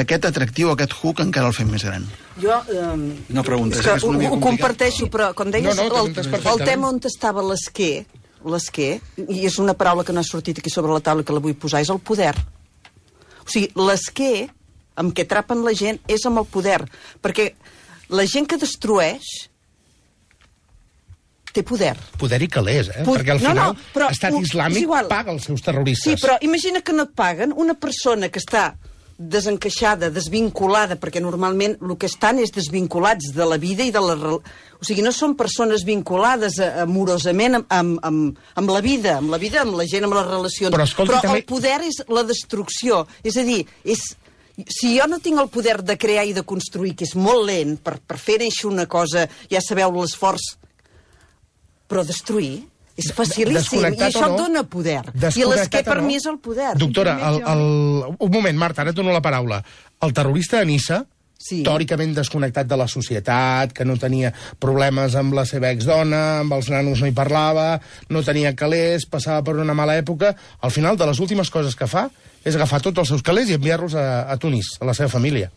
aquest atractiu, aquest hook, encara el fem més gran. Jo... Eh, no preguntes, és que és una ho, mica ho comparteixo, però quan deies no, no, el, el tema on estava l'esquer, l'esquer, i és una paraula que no ha sortit aquí sobre la taula que la vull posar, és el poder. O sigui, l'esquer amb què atrapen la gent és amb el poder, perquè la gent que destrueix té poder. Poder i calés, eh? Pod... Perquè al final no, no, però, Estat Islàmic paga els seus terroristes. Sí, però imagina que no et paguen una persona que està desencaixada, desvinculada, perquè normalment el que estan és desvinculats de la vida i de la... O sigui, no són persones vinculades amorosament amb, amb, amb, amb la vida, amb la vida, amb la gent, amb les relacions. Però, escolti, però també... el poder és la destrucció. És a dir, és... si jo no tinc el poder de crear i de construir, que és molt lent, per, per fer néixer una cosa, ja sabeu l'esforç, però destruir... És facilíssim, i això no, dona poder. I l'esquer per no? mi és el poder. Doctora, el, el... un moment, Marta, ara et dono la paraula. El terrorista de Niça, sí. teòricament desconnectat de la societat, que no tenia problemes amb la seva exdona, amb els nanos no hi parlava, no tenia calés, passava per una mala època, al final de les últimes coses que fa és agafar tots els seus calés i enviar-los a, a Tunis, a la seva família.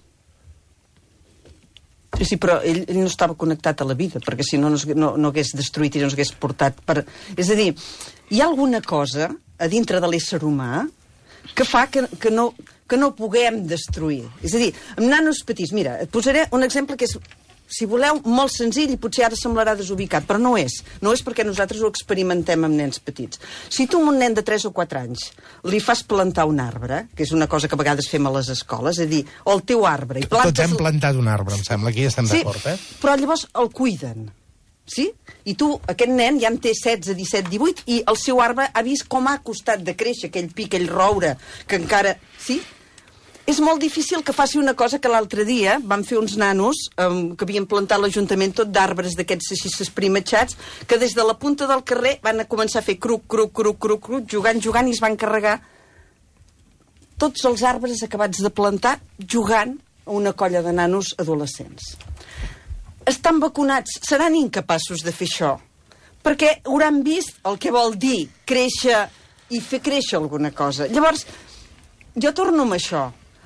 Sí, sí, però ell, ell no estava connectat a la vida, perquè si no, no, no, no hagués destruït i no hagués portat... Per... És a dir, hi ha alguna cosa a dintre de l'ésser humà que fa que, que, no, que no puguem destruir. És a dir, amb nanos petits... Mira, et posaré un exemple que és, si voleu, molt senzill i potser ara semblarà desubicat, però no és. No és perquè nosaltres ho experimentem amb nens petits. Si tu a un nen de tres o quatre anys li fas plantar un arbre, que és una cosa que a vegades fem a les escoles, és a dir, o el teu arbre... I plantes... Tots hem plantat un arbre, em sembla, aquí ja estem sí, d'acord, eh? Però llavors el cuiden, sí? I tu, aquest nen ja en té setze, disset, divuit, i el seu arbre ha vist com ha costat de créixer aquell pi, aquell roure, que encara... Sí? És molt difícil que faci una cosa que l'altre dia van fer uns nanos um, que havien plantat l'Ajuntament tot d'arbres d'aquests així esprimatxats, que des de la punta del carrer van a començar a fer cruc, cruc, cruc, cruc, cruc, jugant, jugant, i es van carregar tots els arbres acabats de plantar jugant a una colla de nanos adolescents. Estan vacunats, seran incapaços de fer això, perquè hauran vist el que vol dir créixer i fer créixer alguna cosa. Llavors, jo torno amb això.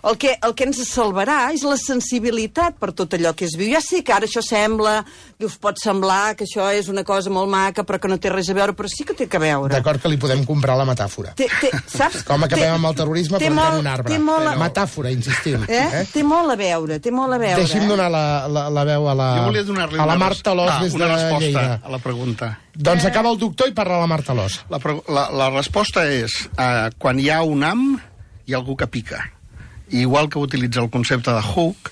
El que, el que ens salvarà és la sensibilitat per tot allò que es viu. Ja sé que ara això sembla, que us pot semblar que això és una cosa molt maca, però que no té res a veure, però sí que té que veure. D'acord que li podem comprar la metàfora. Té, té, saps? Com acabem té, amb el terrorisme plantant un arbre. Molt, metàfora, insistim. Eh? Eh? Té molt a veure, té molt a veure. Deixi'm eh? donar la, la, la veu a la, a la Marta Alòs ah, des de Lleida. A la pregunta. Doncs eh... acaba el doctor i parla la Marta Alòs. La, la, la resposta és, uh, quan hi ha un ham, hi ha algú que pica. I igual que utilitza el concepte de hook,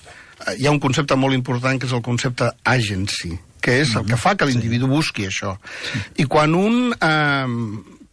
hi ha un concepte molt important que és el concepte agency, que és el que fa que l'individu busqui això. I quan un eh,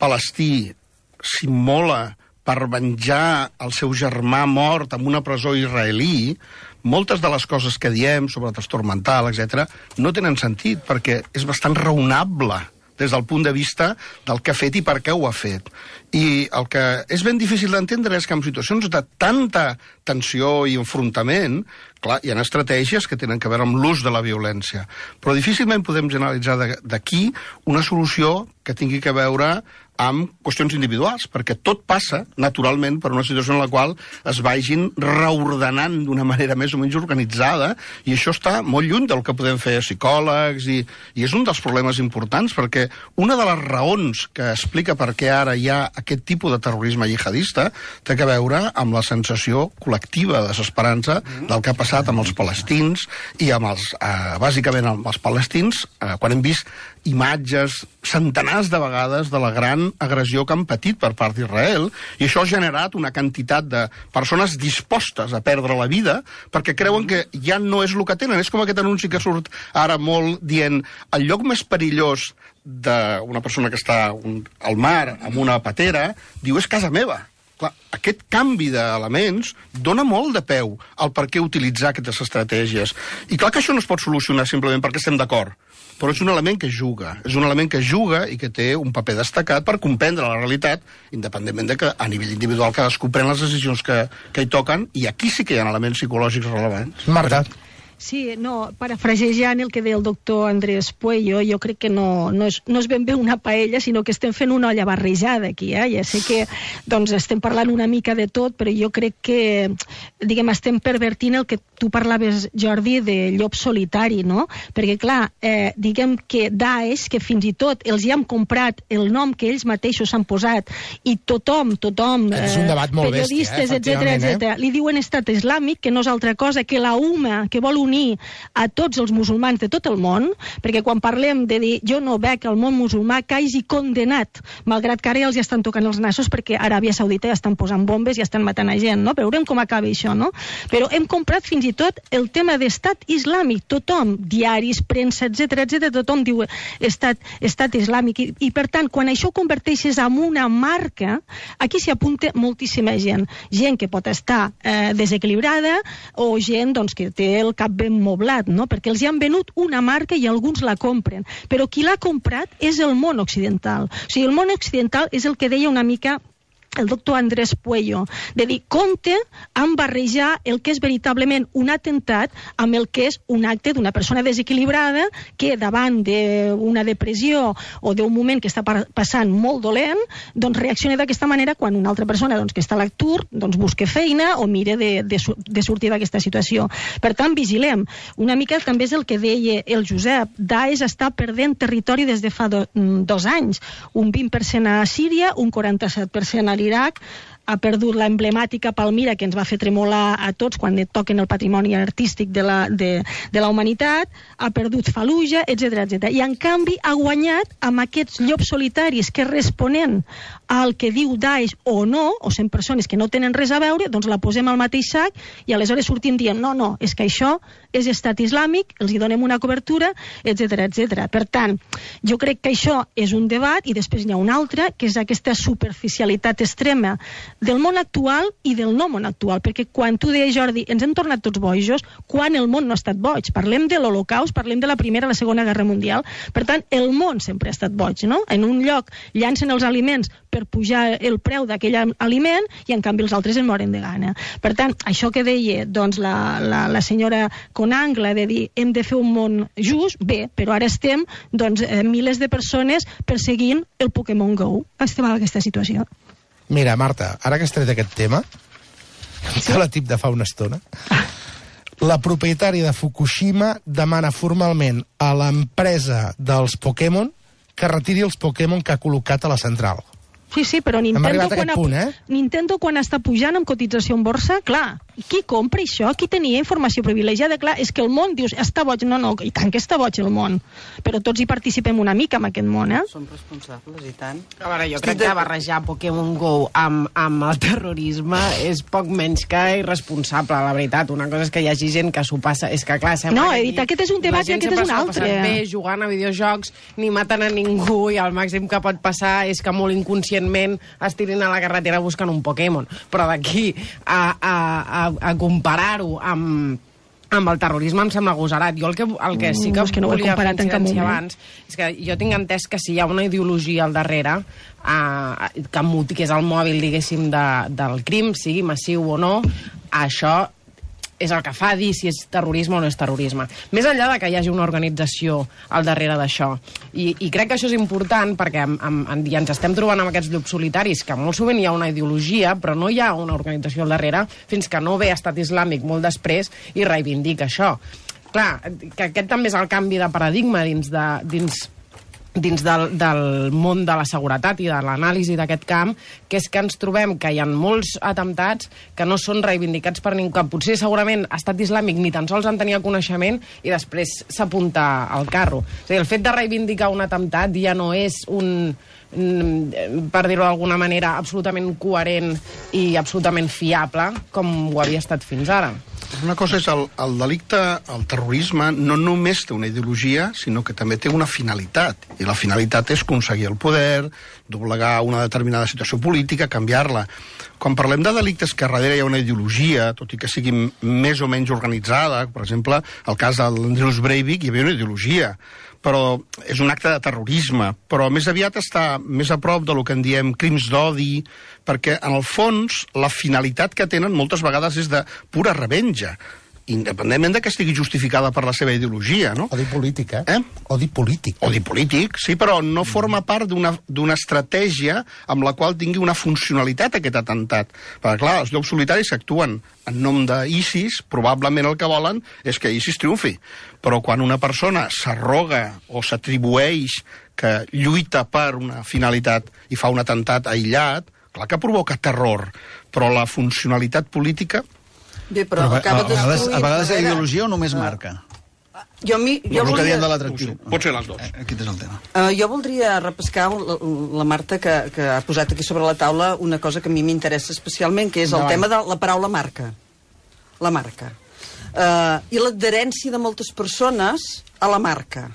palestí s'immola per venjar el seu germà mort en una presó israelí, moltes de les coses que diem sobre trastorn mental, etcètera, no tenen sentit, perquè és bastant raonable des del punt de vista del que ha fet i per què ho ha fet. I el que és ben difícil d'entendre és que en situacions de tanta tensió i enfrontament, clar, hi ha estratègies que tenen a veure amb l'ús de la violència, però difícilment podem generalitzar d'aquí una solució que tingui a veure amb qüestions individuals, perquè tot passa, naturalment, per una situació en la qual es vagin reordenant d'una manera més o menys organitzada, i això està molt lluny del que podem fer psicòlegs, i, i és un dels problemes importants, perquè una de les raons que explica per què ara hi ha aquest tipus de terrorisme jihadista té a veure amb la sensació col·lectiva de desesperança del que ha passat amb els palestins i amb els, eh, bàsicament amb els palestins, eh, quan hem vist imatges centenars de vegades de la gran agressió que han patit per part d'Israel, i això ha generat una quantitat de persones dispostes a perdre la vida perquè creuen que ja no és el que tenen. És com aquest anunci que surt ara molt dient el lloc més perillós d'una persona que està un, al mar amb una patera, diu és casa meva. Clar, aquest canvi d'elements dona molt de peu al per què utilitzar aquestes estratègies. I clar que això no es pot solucionar simplement perquè estem d'acord, però és un element que juga, és un element que juga i que té un paper destacat per comprendre la realitat, independentment de que a nivell individual cadascú pren les decisions que, que hi toquen, i aquí sí que hi ha elements psicològics rellevants. Marta. Sí, no, parafrasejant el que deia el doctor Andrés Puello, jo crec que no, no, és, no és ben bé una paella, sinó que estem fent una olla barrejada aquí, eh? Ja sé que doncs, estem parlant una mica de tot, però jo crec que, diguem, estem pervertint el que tu parlaves, Jordi, de llop solitari, no? Perquè, clar, eh, diguem que Daesh, que fins i tot els hi han comprat el nom que ells mateixos han posat, i tothom, tothom, eh, és un debat molt periodistes, bèstia, eh, etcètera, etcètera, li diuen estat islàmic, que no és altra cosa que la UMA, que vol unir a tots els musulmans de tot el món, perquè quan parlem de dir jo no veig el món musulmà que hagi condenat, malgrat que ara ja els estan tocant els nassos perquè a Aràbia Saudita ja estan posant bombes i estan matant a gent, no? Però veurem com acaba això, no? Però hem comprat fins i tot el tema d'estat islàmic, tothom, diaris, premsa, etcètera, etcètera, tothom diu estat, estat islàmic, I, i per tant, quan això ho converteixes en una marca, aquí s'hi apunta moltíssima gent, gent que pot estar eh, desequilibrada o gent doncs, que té el cap ben moblat, no? Perquè els hi han venut una marca i alguns la compren. Però qui l'ha comprat és el món occidental. O sigui, el món occidental és el que deia una mica el doctor Andrés Puello, de dir, compte en barrejar el que és veritablement un atemptat amb el que és un acte d'una persona desequilibrada que davant d'una depressió o d'un moment que està passant molt dolent, doncs reacciona d'aquesta manera quan una altra persona doncs, que està a l'atur doncs busca feina o mira de, de, de sortir d'aquesta situació. Per tant, vigilem. Una mica també és el que deia el Josep. Daesh està perdent territori des de fa do, dos anys. Un vint per cent a Síria, un quaranta-set per cent a l'Iraq, ha perdut la emblemàtica Palmira, que ens va fer tremolar a tots quan et toquen el patrimoni artístic de la, de, de la humanitat, ha perdut Fallujah, etcètera, etcètera. I en canvi ha guanyat amb aquests llops solitaris que responent al que diu Daesh o no, o són persones que no tenen res a veure, doncs la posem al mateix sac i aleshores sortim dient no, no, és que això és estat islàmic, els hi donem una cobertura, etcètera, etcètera. Per tant, jo crec que això és un debat i després hi ha un altre, que és aquesta superficialitat extrema del món actual i del no món actual, perquè quan tu deies, Jordi, ens hem tornat tots bojos, quan el món no ha estat boig. Parlem de l'Holocaust, parlem de la Primera i la Segona Guerra Mundial, per tant, el món sempre ha estat boig, no? En un lloc llancen els aliments per pujar el preu d'aquell aliment i en canvi els altres en moren de gana. Per tant, això que deia doncs, la, la, la senyora Conangla de dir hem de fer un món just, bé, però ara estem doncs, eh, milers de persones perseguint el Pokémon Go. Estem en aquesta situació. Mira, Marta, ara que has tret aquest tema, que la tip de fa una estona, la propietària de Fukushima demana formalment a l'empresa dels Pokémon que retiri els Pokémon que ha col·locat a la central. Sí, sí, però Nintendo quan, punt, eh? Nintendo quan està pujant amb cotització en borsa, clar, qui compra això? Qui tenia informació privilegiada? Clar, és que el món, dius, està boig. No, no, i tant que està boig el món. Però tots hi participem una mica en aquest món, eh? Som responsables, i tant. A veure, jo crec que barrejar Pokémon Go amb, amb el terrorisme és poc menys que irresponsable, la veritat. Una cosa és que hi hagi gent que s'ho passa... És que, clar, sembla no, que he dit, aquest és un debat i aquest és un altre. Bé, jugant a videojocs, ni maten a ningú, i el màxim que pot passar és que molt inconscient es tirin a la carretera buscant un Pokémon. Però d'aquí a, a, a, a comparar-ho amb amb el terrorisme em sembla agosarat. Jo el que, el que sí que, no, és que no volia fer incidència abans és que jo tinc entès que si hi ha una ideologia al darrere eh, que, que és el mòbil, diguéssim, de, del crim, sigui massiu o no, això és el que fa dir si és terrorisme o no és terrorisme. Més enllà de que hi hagi una organització al darrere d'això. I, I crec que això és important perquè em, em, ja ens estem trobant amb aquests llops solitaris que molt sovint hi ha una ideologia però no hi ha una organització al darrere fins que no ve Estat Islàmic molt després i reivindica això. Clar, que aquest també és el canvi de paradigma dins de... dins dins del, del món de la seguretat i de l'anàlisi d'aquest camp, que és que ens trobem que hi ha molts atemptats que no són reivindicats per ningú, que potser segurament Estat Islàmic ni tan sols en tenia coneixement i després s'apunta al carro. És a dir, el fet de reivindicar un atemptat ja no és un, per dir-ho d'alguna manera, absolutament coherent i absolutament fiable com ho havia estat fins ara. Una cosa és el, el delicte, el terrorisme, no només té una ideologia, sinó que també té una finalitat. I la finalitat és aconseguir el poder, doblegar una determinada situació política, canviar-la. Quan parlem de delictes que darrere hi ha una ideologia, tot i que sigui més o menys organitzada, per exemple, el cas de l'Andrews Breivik, hi havia una ideologia, però és un acte de terrorisme, però més aviat està més a prop del que en diem crims d'odi, perquè en el fons la finalitat que tenen moltes vegades és de pura revenja, independentment de que estigui justificada per la seva ideologia, no? Odi polític, eh? eh? Odi polític. Odi polític, sí, però no forma part d'una d'una estratègia amb la qual tingui una funcionalitat aquest atemptat. Perquè, clar, els llops solitaris actuen en nom d'ISIS, probablement el que volen és que ISIS triomfi. Però quan una persona s'arroga o s'atribueix que lluita per una finalitat i fa un atemptat aïllat, clar que provoca terror, però la funcionalitat política... Bé, però, però acaba a, a, vegades, a vegades la ideologia o només uh, marca? Jo, mi, jo el voldria... que diem de l'atractiu. Pot ser les dues. Aquest és el tema. Uh, jo voldria repescar la, la Marta que, que ha posat aquí sobre la taula una cosa que a mi m'interessa especialment, que és el tema de la paraula marca. La marca. Uh, I l'adherència de moltes persones a la marca.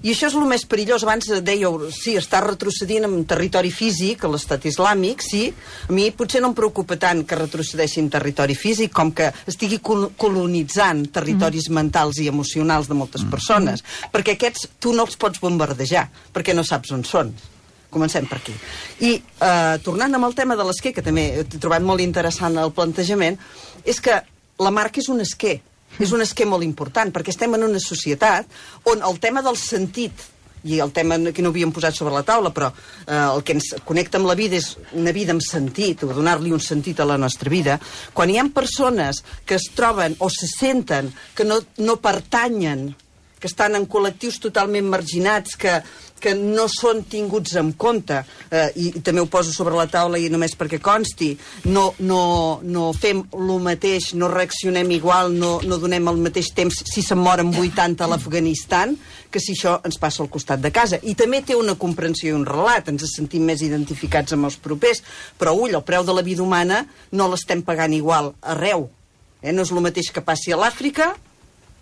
I això és el més perillós. Abans dèieu, sí, està retrocedint en territori físic, a l'estat islàmic, sí. A mi potser no em preocupa tant que retrocedeixi en territori físic com que estigui col colonitzant territoris mm. mentals i emocionals de moltes mm. persones. Perquè aquests tu no els pots bombardejar, perquè no saps on són. Comencem per aquí. I eh, tornant amb el tema de l'esquer, que també he trobat molt interessant el plantejament, és que la marca és un esquer. És un esquema molt important, perquè estem en una societat on el tema del sentit, i el tema que no havíem posat sobre la taula, però eh, el que ens connecta amb la vida és una vida amb sentit, o donar-li un sentit a la nostra vida. Quan hi ha persones que es troben o se senten que no, no pertanyen, que estan en col·lectius totalment marginats, que, que no són tinguts en compte, eh, i, i també ho poso sobre la taula i només perquè consti, no, no, no fem el mateix, no reaccionem igual, no, no donem el mateix temps si se'n moren vuitanta a l'Afganistan, que si això ens passa al costat de casa. I també té una comprensió i un relat, ens sentim més identificats amb els propers, però ull, el preu de la vida humana no l'estem pagant igual arreu. Eh? No és el mateix que passi a l'Àfrica,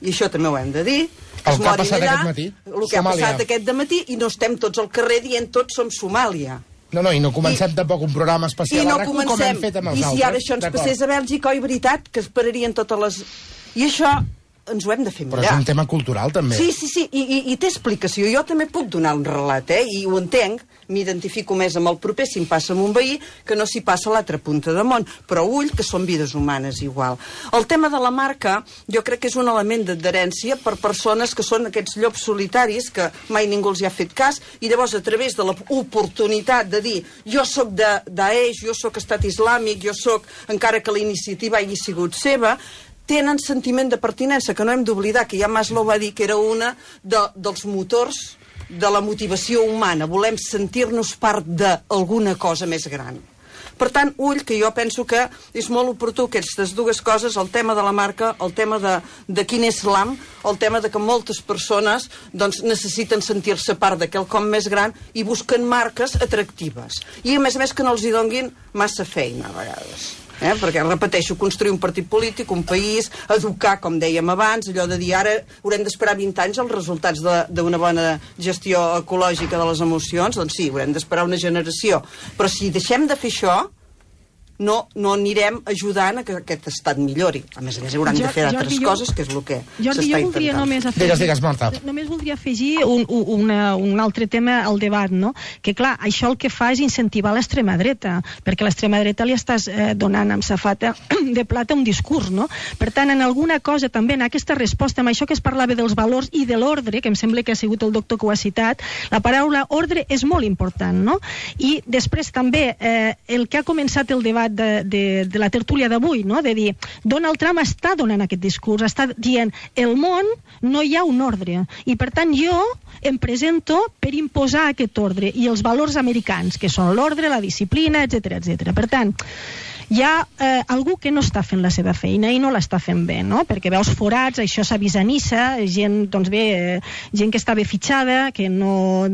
i això també ho hem de dir, el que ha passat allà, aquest matí, el que ha passat aquest dematí, i no estem tots al carrer dient tots som Somàlia. No, no, i no comencem I, tampoc un programa especial no a RAC u com hem fet amb els I altres. I si ara això ens passés a Bèlgica, oi, veritat, que es pararien totes les... I això ens ho hem de fer mirar. Però és un tema cultural, també. Sí, sí, sí, i, i, i té explicació. Jo també puc donar un relat, eh? I ho entenc, m'identifico més amb el proper si em passa amb un veí que no si passa a l'altra punta de món. Però ull, que són vides humanes igual. El tema de la marca, jo crec que és un element d'adherència per persones que són aquests llops solitaris que mai ningú els hi ha fet cas, i llavors a través de l'oportunitat de dir jo sóc de Daesh, jo sóc Estat Islàmic, jo sóc, encara que la iniciativa hagi sigut seva, tenen sentiment de pertinença, que no hem d'oblidar, que ja Maslow va dir que era una de, dels motors de la motivació humana. Volem sentir-nos part d'alguna cosa més gran. Per tant, ull, que jo penso que és molt oportú aquestes dues coses, el tema de la marca, el tema de, de quin és l'am, el tema de que moltes persones doncs, necessiten sentir-se part de quelcom més gran i busquen marques atractives. I a més a més que no els hi donguin massa feina a vegades. Eh? Perquè, repeteixo, construir un partit polític, un país, educar, com dèiem abans, allò de dir ara haurem d'esperar vint anys els resultats d'una bona gestió ecològica de les emocions, doncs sí, haurem d'esperar una generació. Però si deixem de fer això, no, no anirem ajudant a que aquest estat millori. A més a més, hauran de fer altres coses, que és el que s'està intentant. Només afegir, digues, digues, Marta. Només voldria afegir un, una, un altre tema al debat, no? Que, clar, això el que fa és incentivar l'extrema dreta, perquè a l'extrema dreta li estàs eh, donant amb safata de plata un discurs, no? Per tant, en alguna cosa, també, en aquesta resposta, amb això que es parlava dels valors i de l'ordre, que em sembla que ha sigut el doctor que ho ha citat, la paraula ordre és molt important, no? I després també, eh, el que ha començat el debat De, de, de la tertúlia d'avui, no? De dir, Donald Trump està donant aquest discurs, està dient, el món no hi ha un ordre, i per tant jo em presento per imposar aquest ordre i els valors americans, que són l'ordre, la disciplina, etcètera, etcètera. Per tant, hi ha eh, algú que no està fent la seva feina i no l'està fent bé, no? Perquè veus forats, això s'avisanissa, gent, doncs bé, eh, gent que està bé fitxada, que no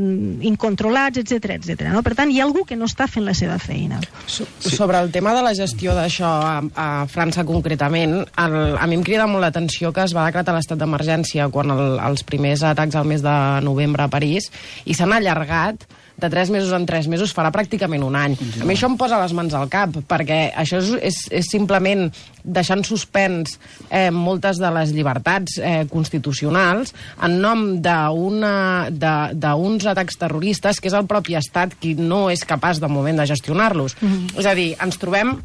incontrolats, etcètera, etcètera. No? Per tant, hi ha algú que no està fent la seva feina. So, sí. Sobre el tema de la gestió d'això a, a França concretament, el, a mi em crida molt l'atenció que es va decretar l'estat d'emergència quan el, els primers atacs al mes de novembre a París, i s'han allargat de tres mesos en tres mesos, farà pràcticament un any. A mi això em posa les mans al cap, perquè això és, és, és simplement deixar en suspens eh, moltes de les llibertats eh, constitucionals en nom d'uns atacs terroristes que és el propi estat qui no és capaç de moment de gestionar-los. Mm-hmm. És a dir, ens trobem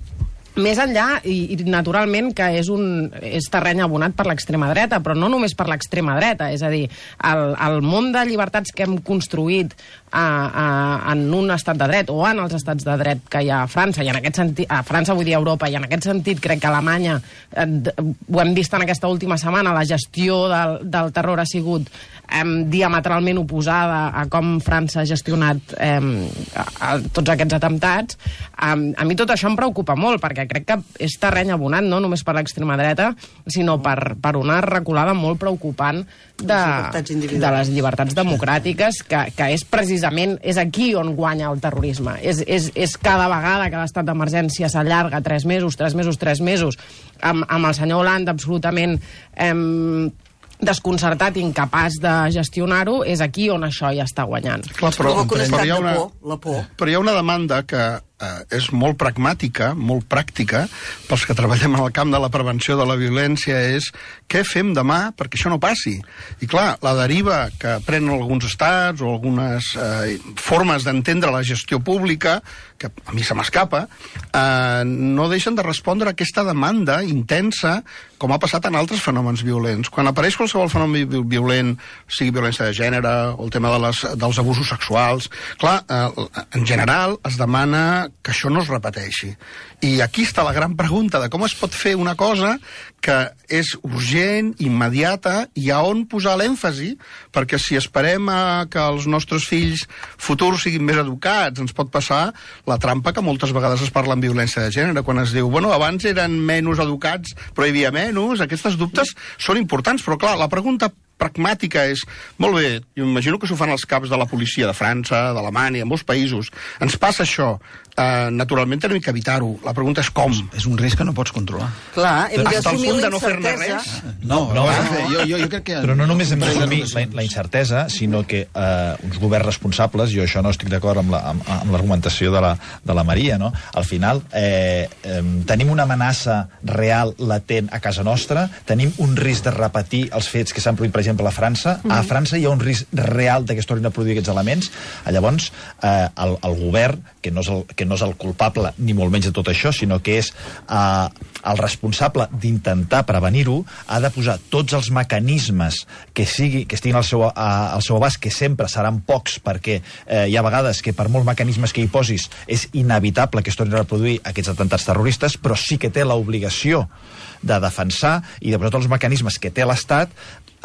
més enllà, i, i naturalment que és, un, és terreny abonat per l'extrema dreta, però no només per l'extrema dreta, és a dir, el, el món de llibertats que hem construït a, a, en un estat de dret o en els estats de dret que hi ha a França, i en aquest sentit, a França vull dir a Europa, i en aquest sentit crec que a Alemanya, eh, ho hem vist en aquesta última setmana, la gestió del, del terror ha sigut eh, diametralment oposada a com França ha gestionat eh, a, a tots aquests atemptats. A, a mi tot això em preocupa molt, perquè crec que és terreny abonat, no només per l'extrema dreta, sinó per, per una reculada molt preocupant de, de les llibertats democràtiques, que, que és precisament, és aquí on guanya el terrorisme. És, és, és cada vegada que l'estat d'emergència s'allarga tres mesos, tres mesos, tres mesos, amb, amb el senyor Hollande absolutament eh, desconcertat i incapaç de gestionar-ho, és aquí on això ja està guanyant. Clar, però, Provoca un estat hi ha una, de por, la por. Però hi ha una demanda que eh, és molt pragmàtica, molt pràctica, pels que treballem en el camp de la prevenció de la violència, és què fem demà perquè això no passi? I clar, la deriva que prenen alguns estats o algunes eh, formes d'entendre la gestió pública, que a mi se m'escapa, eh, no deixen de respondre a aquesta demanda intensa, com ha passat en altres fenòmens violents. Quan apareix qualsevol fenomen violent, sigui violència de gènere o el tema de les, dels abusos sexuals, clar, eh, en general es demana que això no es repeteixi. I aquí està la gran pregunta de com es pot fer una cosa que és urgent, immediata, i a on posar l'èmfasi, perquè si esperem a que els nostres fills futurs siguin més educats, ens pot passar la trampa que moltes vegades es parla en violència de gènere, quan es diu, bueno, abans eren menys educats, però hi havia menys, aquests dubtes són importants, però clar, la pregunta pragmàtica és, molt bé, jo imagino que s'ho fan els caps de la policia de França, d'Alemanya, en molts països, ens passa això, eh, naturalment tenim que evitar-ho, la pregunta és com. És un risc que no pots controlar. Clar, hem Hasta el d'assumir punt la de no fer-ne incertesa. res. No, no, no, no, jo, jo, jo crec que... Però no només hem d'assumir la, la incertesa, sinó que eh, uns governs responsables, jo això no estic d'acord amb l'argumentació la, amb, amb de la Maria, no? Al final, eh, eh, tenim una amenaça real, latent a casa nostra, tenim un risc de repetir els fets que s'han produït, per exemple, a França. Mm. A França hi ha un risc real de que es tornin a produir aquests elements. Llavors, eh, el, el govern, que no, és el, que no és el culpable ni molt menys de tot això, sinó que és eh, el responsable d'intentar prevenir-ho, ha de posar tots els mecanismes que, sigui, que estiguin al seu, a, al seu abast, que sempre seran pocs, perquè eh, hi ha vegades que per molts mecanismes que hi posis és inevitable que es tornin a reproduir aquests atemptats terroristes, però sí que té l'obligació de defensar i de posar tots els mecanismes que té l'Estat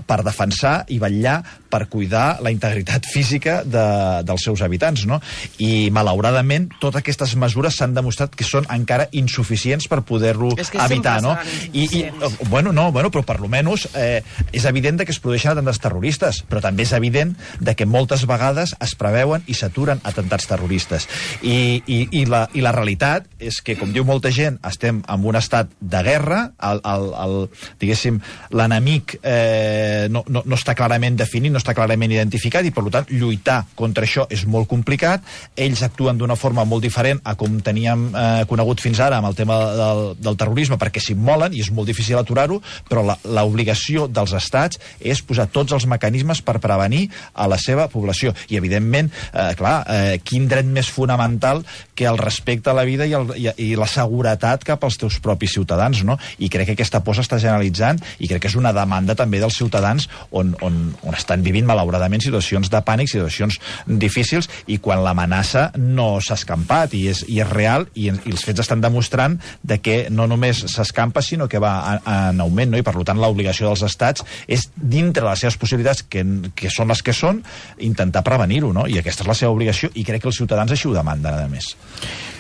per defensar i vetllar per cuidar la integritat física de, dels seus habitants, no? I, malauradament, totes aquestes mesures s'han demostrat que són encara insuficients per poder-lo evitar, no? I, i, bueno, no, bueno, però per lo menos eh, és evident de que es produeixen atemptats terroristes, però també és evident de que moltes vegades es preveuen i s'aturen atemptats terroristes. I, i, i, la, i la realitat és que, com diu molta gent, estem en un estat de guerra, el, el, el, diguéssim, l'enemic eh, eh, no, no, no està clarament definit, no està clarament identificat, i per tant lluitar contra això és molt complicat. Ells actuen d'una forma molt diferent a com teníem eh, conegut fins ara amb el tema del, del terrorisme, perquè s'immolen i és molt difícil aturar-ho, però l'obligació dels estats és posar tots els mecanismes per prevenir a la seva població. I, evidentment, eh, clar, eh, quin dret més fonamental que el respecte a la vida i, el, i, i la seguretat cap als teus propis ciutadans, no? I crec que aquesta por s'està generalitzant i crec que és una demanda també dels ciutadans on, on, on estan vivint, malauradament, situacions de pànic, situacions difícils, i quan l'amenaça no s'ha escampat i és, i és real, i, i els fets estan demostrant de que no només s'escampa, sinó que va en augment, no? I per tant l'obligació dels estats és, dintre les seves possibilitats, que, que són les que són, intentar prevenir-ho, no? I aquesta és la seva obligació, i crec que els ciutadans així ho demanden, a més.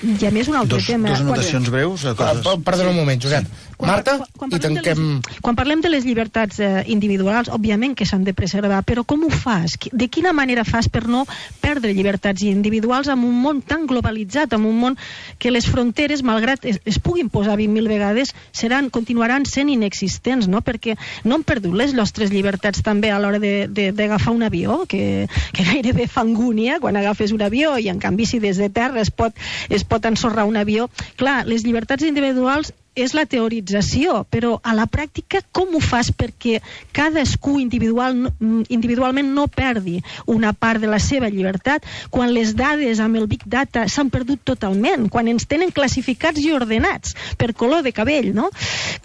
I a més un altre dos, tema... Dos anotacions quan... breus. Coses... Perdona un moment, Josep. Sí. Marta, quan, quan, i tanquem... Les, quan parlem de les llibertats eh, individuals, òbviament que s'han de preservar, però com ho fas? De quina manera fas per no perdre llibertats individuals en un món tan globalitzat, en un món que les fronteres, malgrat es, es puguin posar vint mil vegades, seran, continuaran sent inexistents, no? Perquè no han perdut les nostres llibertats també a l'hora d'agafar un avió, que, que gairebé fa angúnia quan agafes un avió, i en canvi si des de terra es pot, es pot ensorrar un avió. Clar, les llibertats individuals és la teorització, però a la pràctica com ho fas perquè cadascú individual, individualment no perdi una part de la seva llibertat quan les dades amb el Big Data s'han perdut totalment, quan ens tenen classificats i ordenats per color de cabell, no?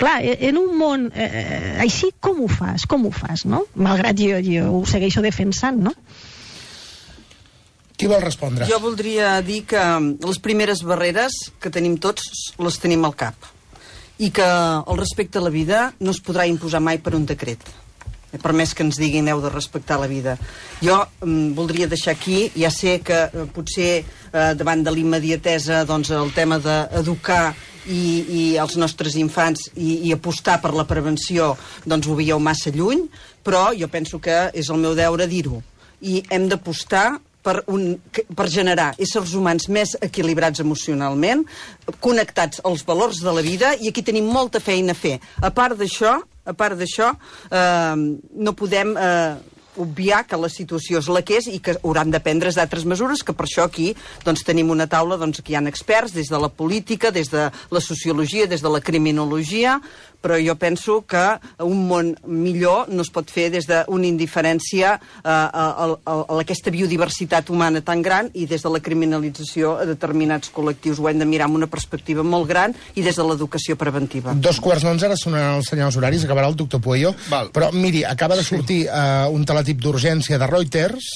Clar, en un món eh, així com ho fas? Com ho fas, no? Malgrat jo, jo ho segueixo defensant, no? Qui vol respondre? Jo voldria dir que les primeres barreres que tenim tots les tenim al cap, i que el respecte a la vida no es podrà imposar mai per un decret, per més que ens diguin heu de respectar la vida. Jo mm, voldria deixar aquí, ja sé que eh, potser eh, davant de l'immediatesa, doncs, el tema d'educar i, i els nostres infants i, i apostar per la prevenció, doncs ho veieu massa lluny, però jo penso que és el meu deure dir-ho, i hem d'apostar Per, un, per generar éssers humans més equilibrats emocionalment, connectats als valors de la vida, i aquí tenim molta feina a fer. A part d'això, a part d'això, eh, no podem eh, obviar que la situació és la que és i que hauran de prendre's d'altres mesures, que per això aquí doncs, tenim una taula doncs, que hi ha experts des de la política, des de la sociologia, des de la criminologia, però jo penso que un món millor no es pot fer des d'una indiferència eh, a, a, a aquesta biodiversitat humana tan gran i des de la criminalització a determinats col·lectius. Ho hem de mirar amb una perspectiva molt gran i des de l'educació preventiva. Dos quarts d'onze, ara sonaran els senyals horaris, acabarà el doctor Pueyo. Val. Però miri, acaba de sortir eh, un teletip d'urgència de Reuters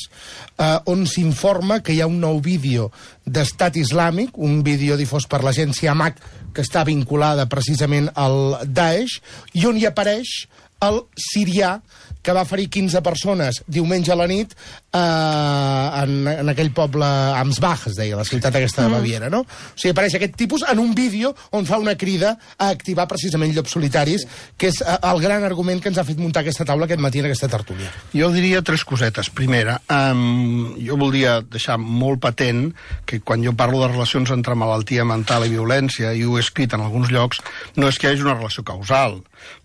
eh, on s'informa que hi ha un nou vídeo d'Estat Islàmic, un vídeo difós per l'agència M A C que està vinculada precisament al Daesh, i on hi apareix el sirià que va ferir quinze persones diumenge a la nit eh, en, en aquell poble Amsbach, es deia, la ciutat aquesta de Baviera, no? O sigui, apareix aquest tipus en un vídeo on fa una crida a activar precisament llops solitaris, que és eh, el gran argument que ens ha fet muntar aquesta taula aquest matí en aquesta tertúlia. Jo diria tres cosetes. Primera, um, jo voldria deixar molt patent que quan jo parlo de relacions entre malaltia mental i violència, i ho he escrit en alguns llocs, no és que hi hagi una relació causal,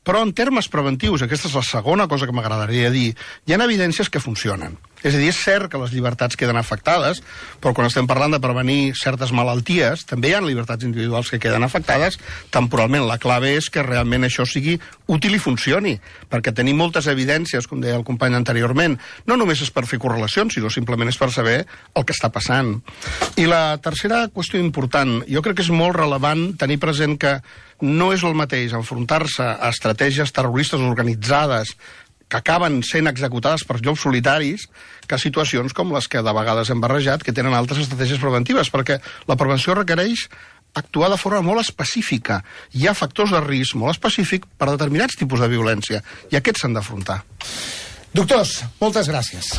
però en termes preventius, aquesta és la segona cosa que m'agradaria dir, hi ha evidències que funcionen. És a dir, és cert que les llibertats queden afectades, però quan estem parlant de prevenir certes malalties, també hi ha llibertats individuals que queden afectades temporalment. La clave és que realment això sigui útil i funcioni, perquè tenim moltes evidències, com deia el company anteriorment, no només és per fer correlacions, sinó simplement és per saber el que està passant. I la tercera qüestió important, jo crec que és molt rellevant tenir present que no és el mateix enfrontar-se a estratègies terroristes organitzades que acaben sent executades per llops solitaris que situacions com les que de vegades hem barrejat, que tenen altres estratègies preventives, perquè la prevenció requereix actuar de forma molt específica. Hi ha factors de risc molt específics per a determinats tipus de violència, i aquests s'han d'afrontar. Doctors, moltes gràcies.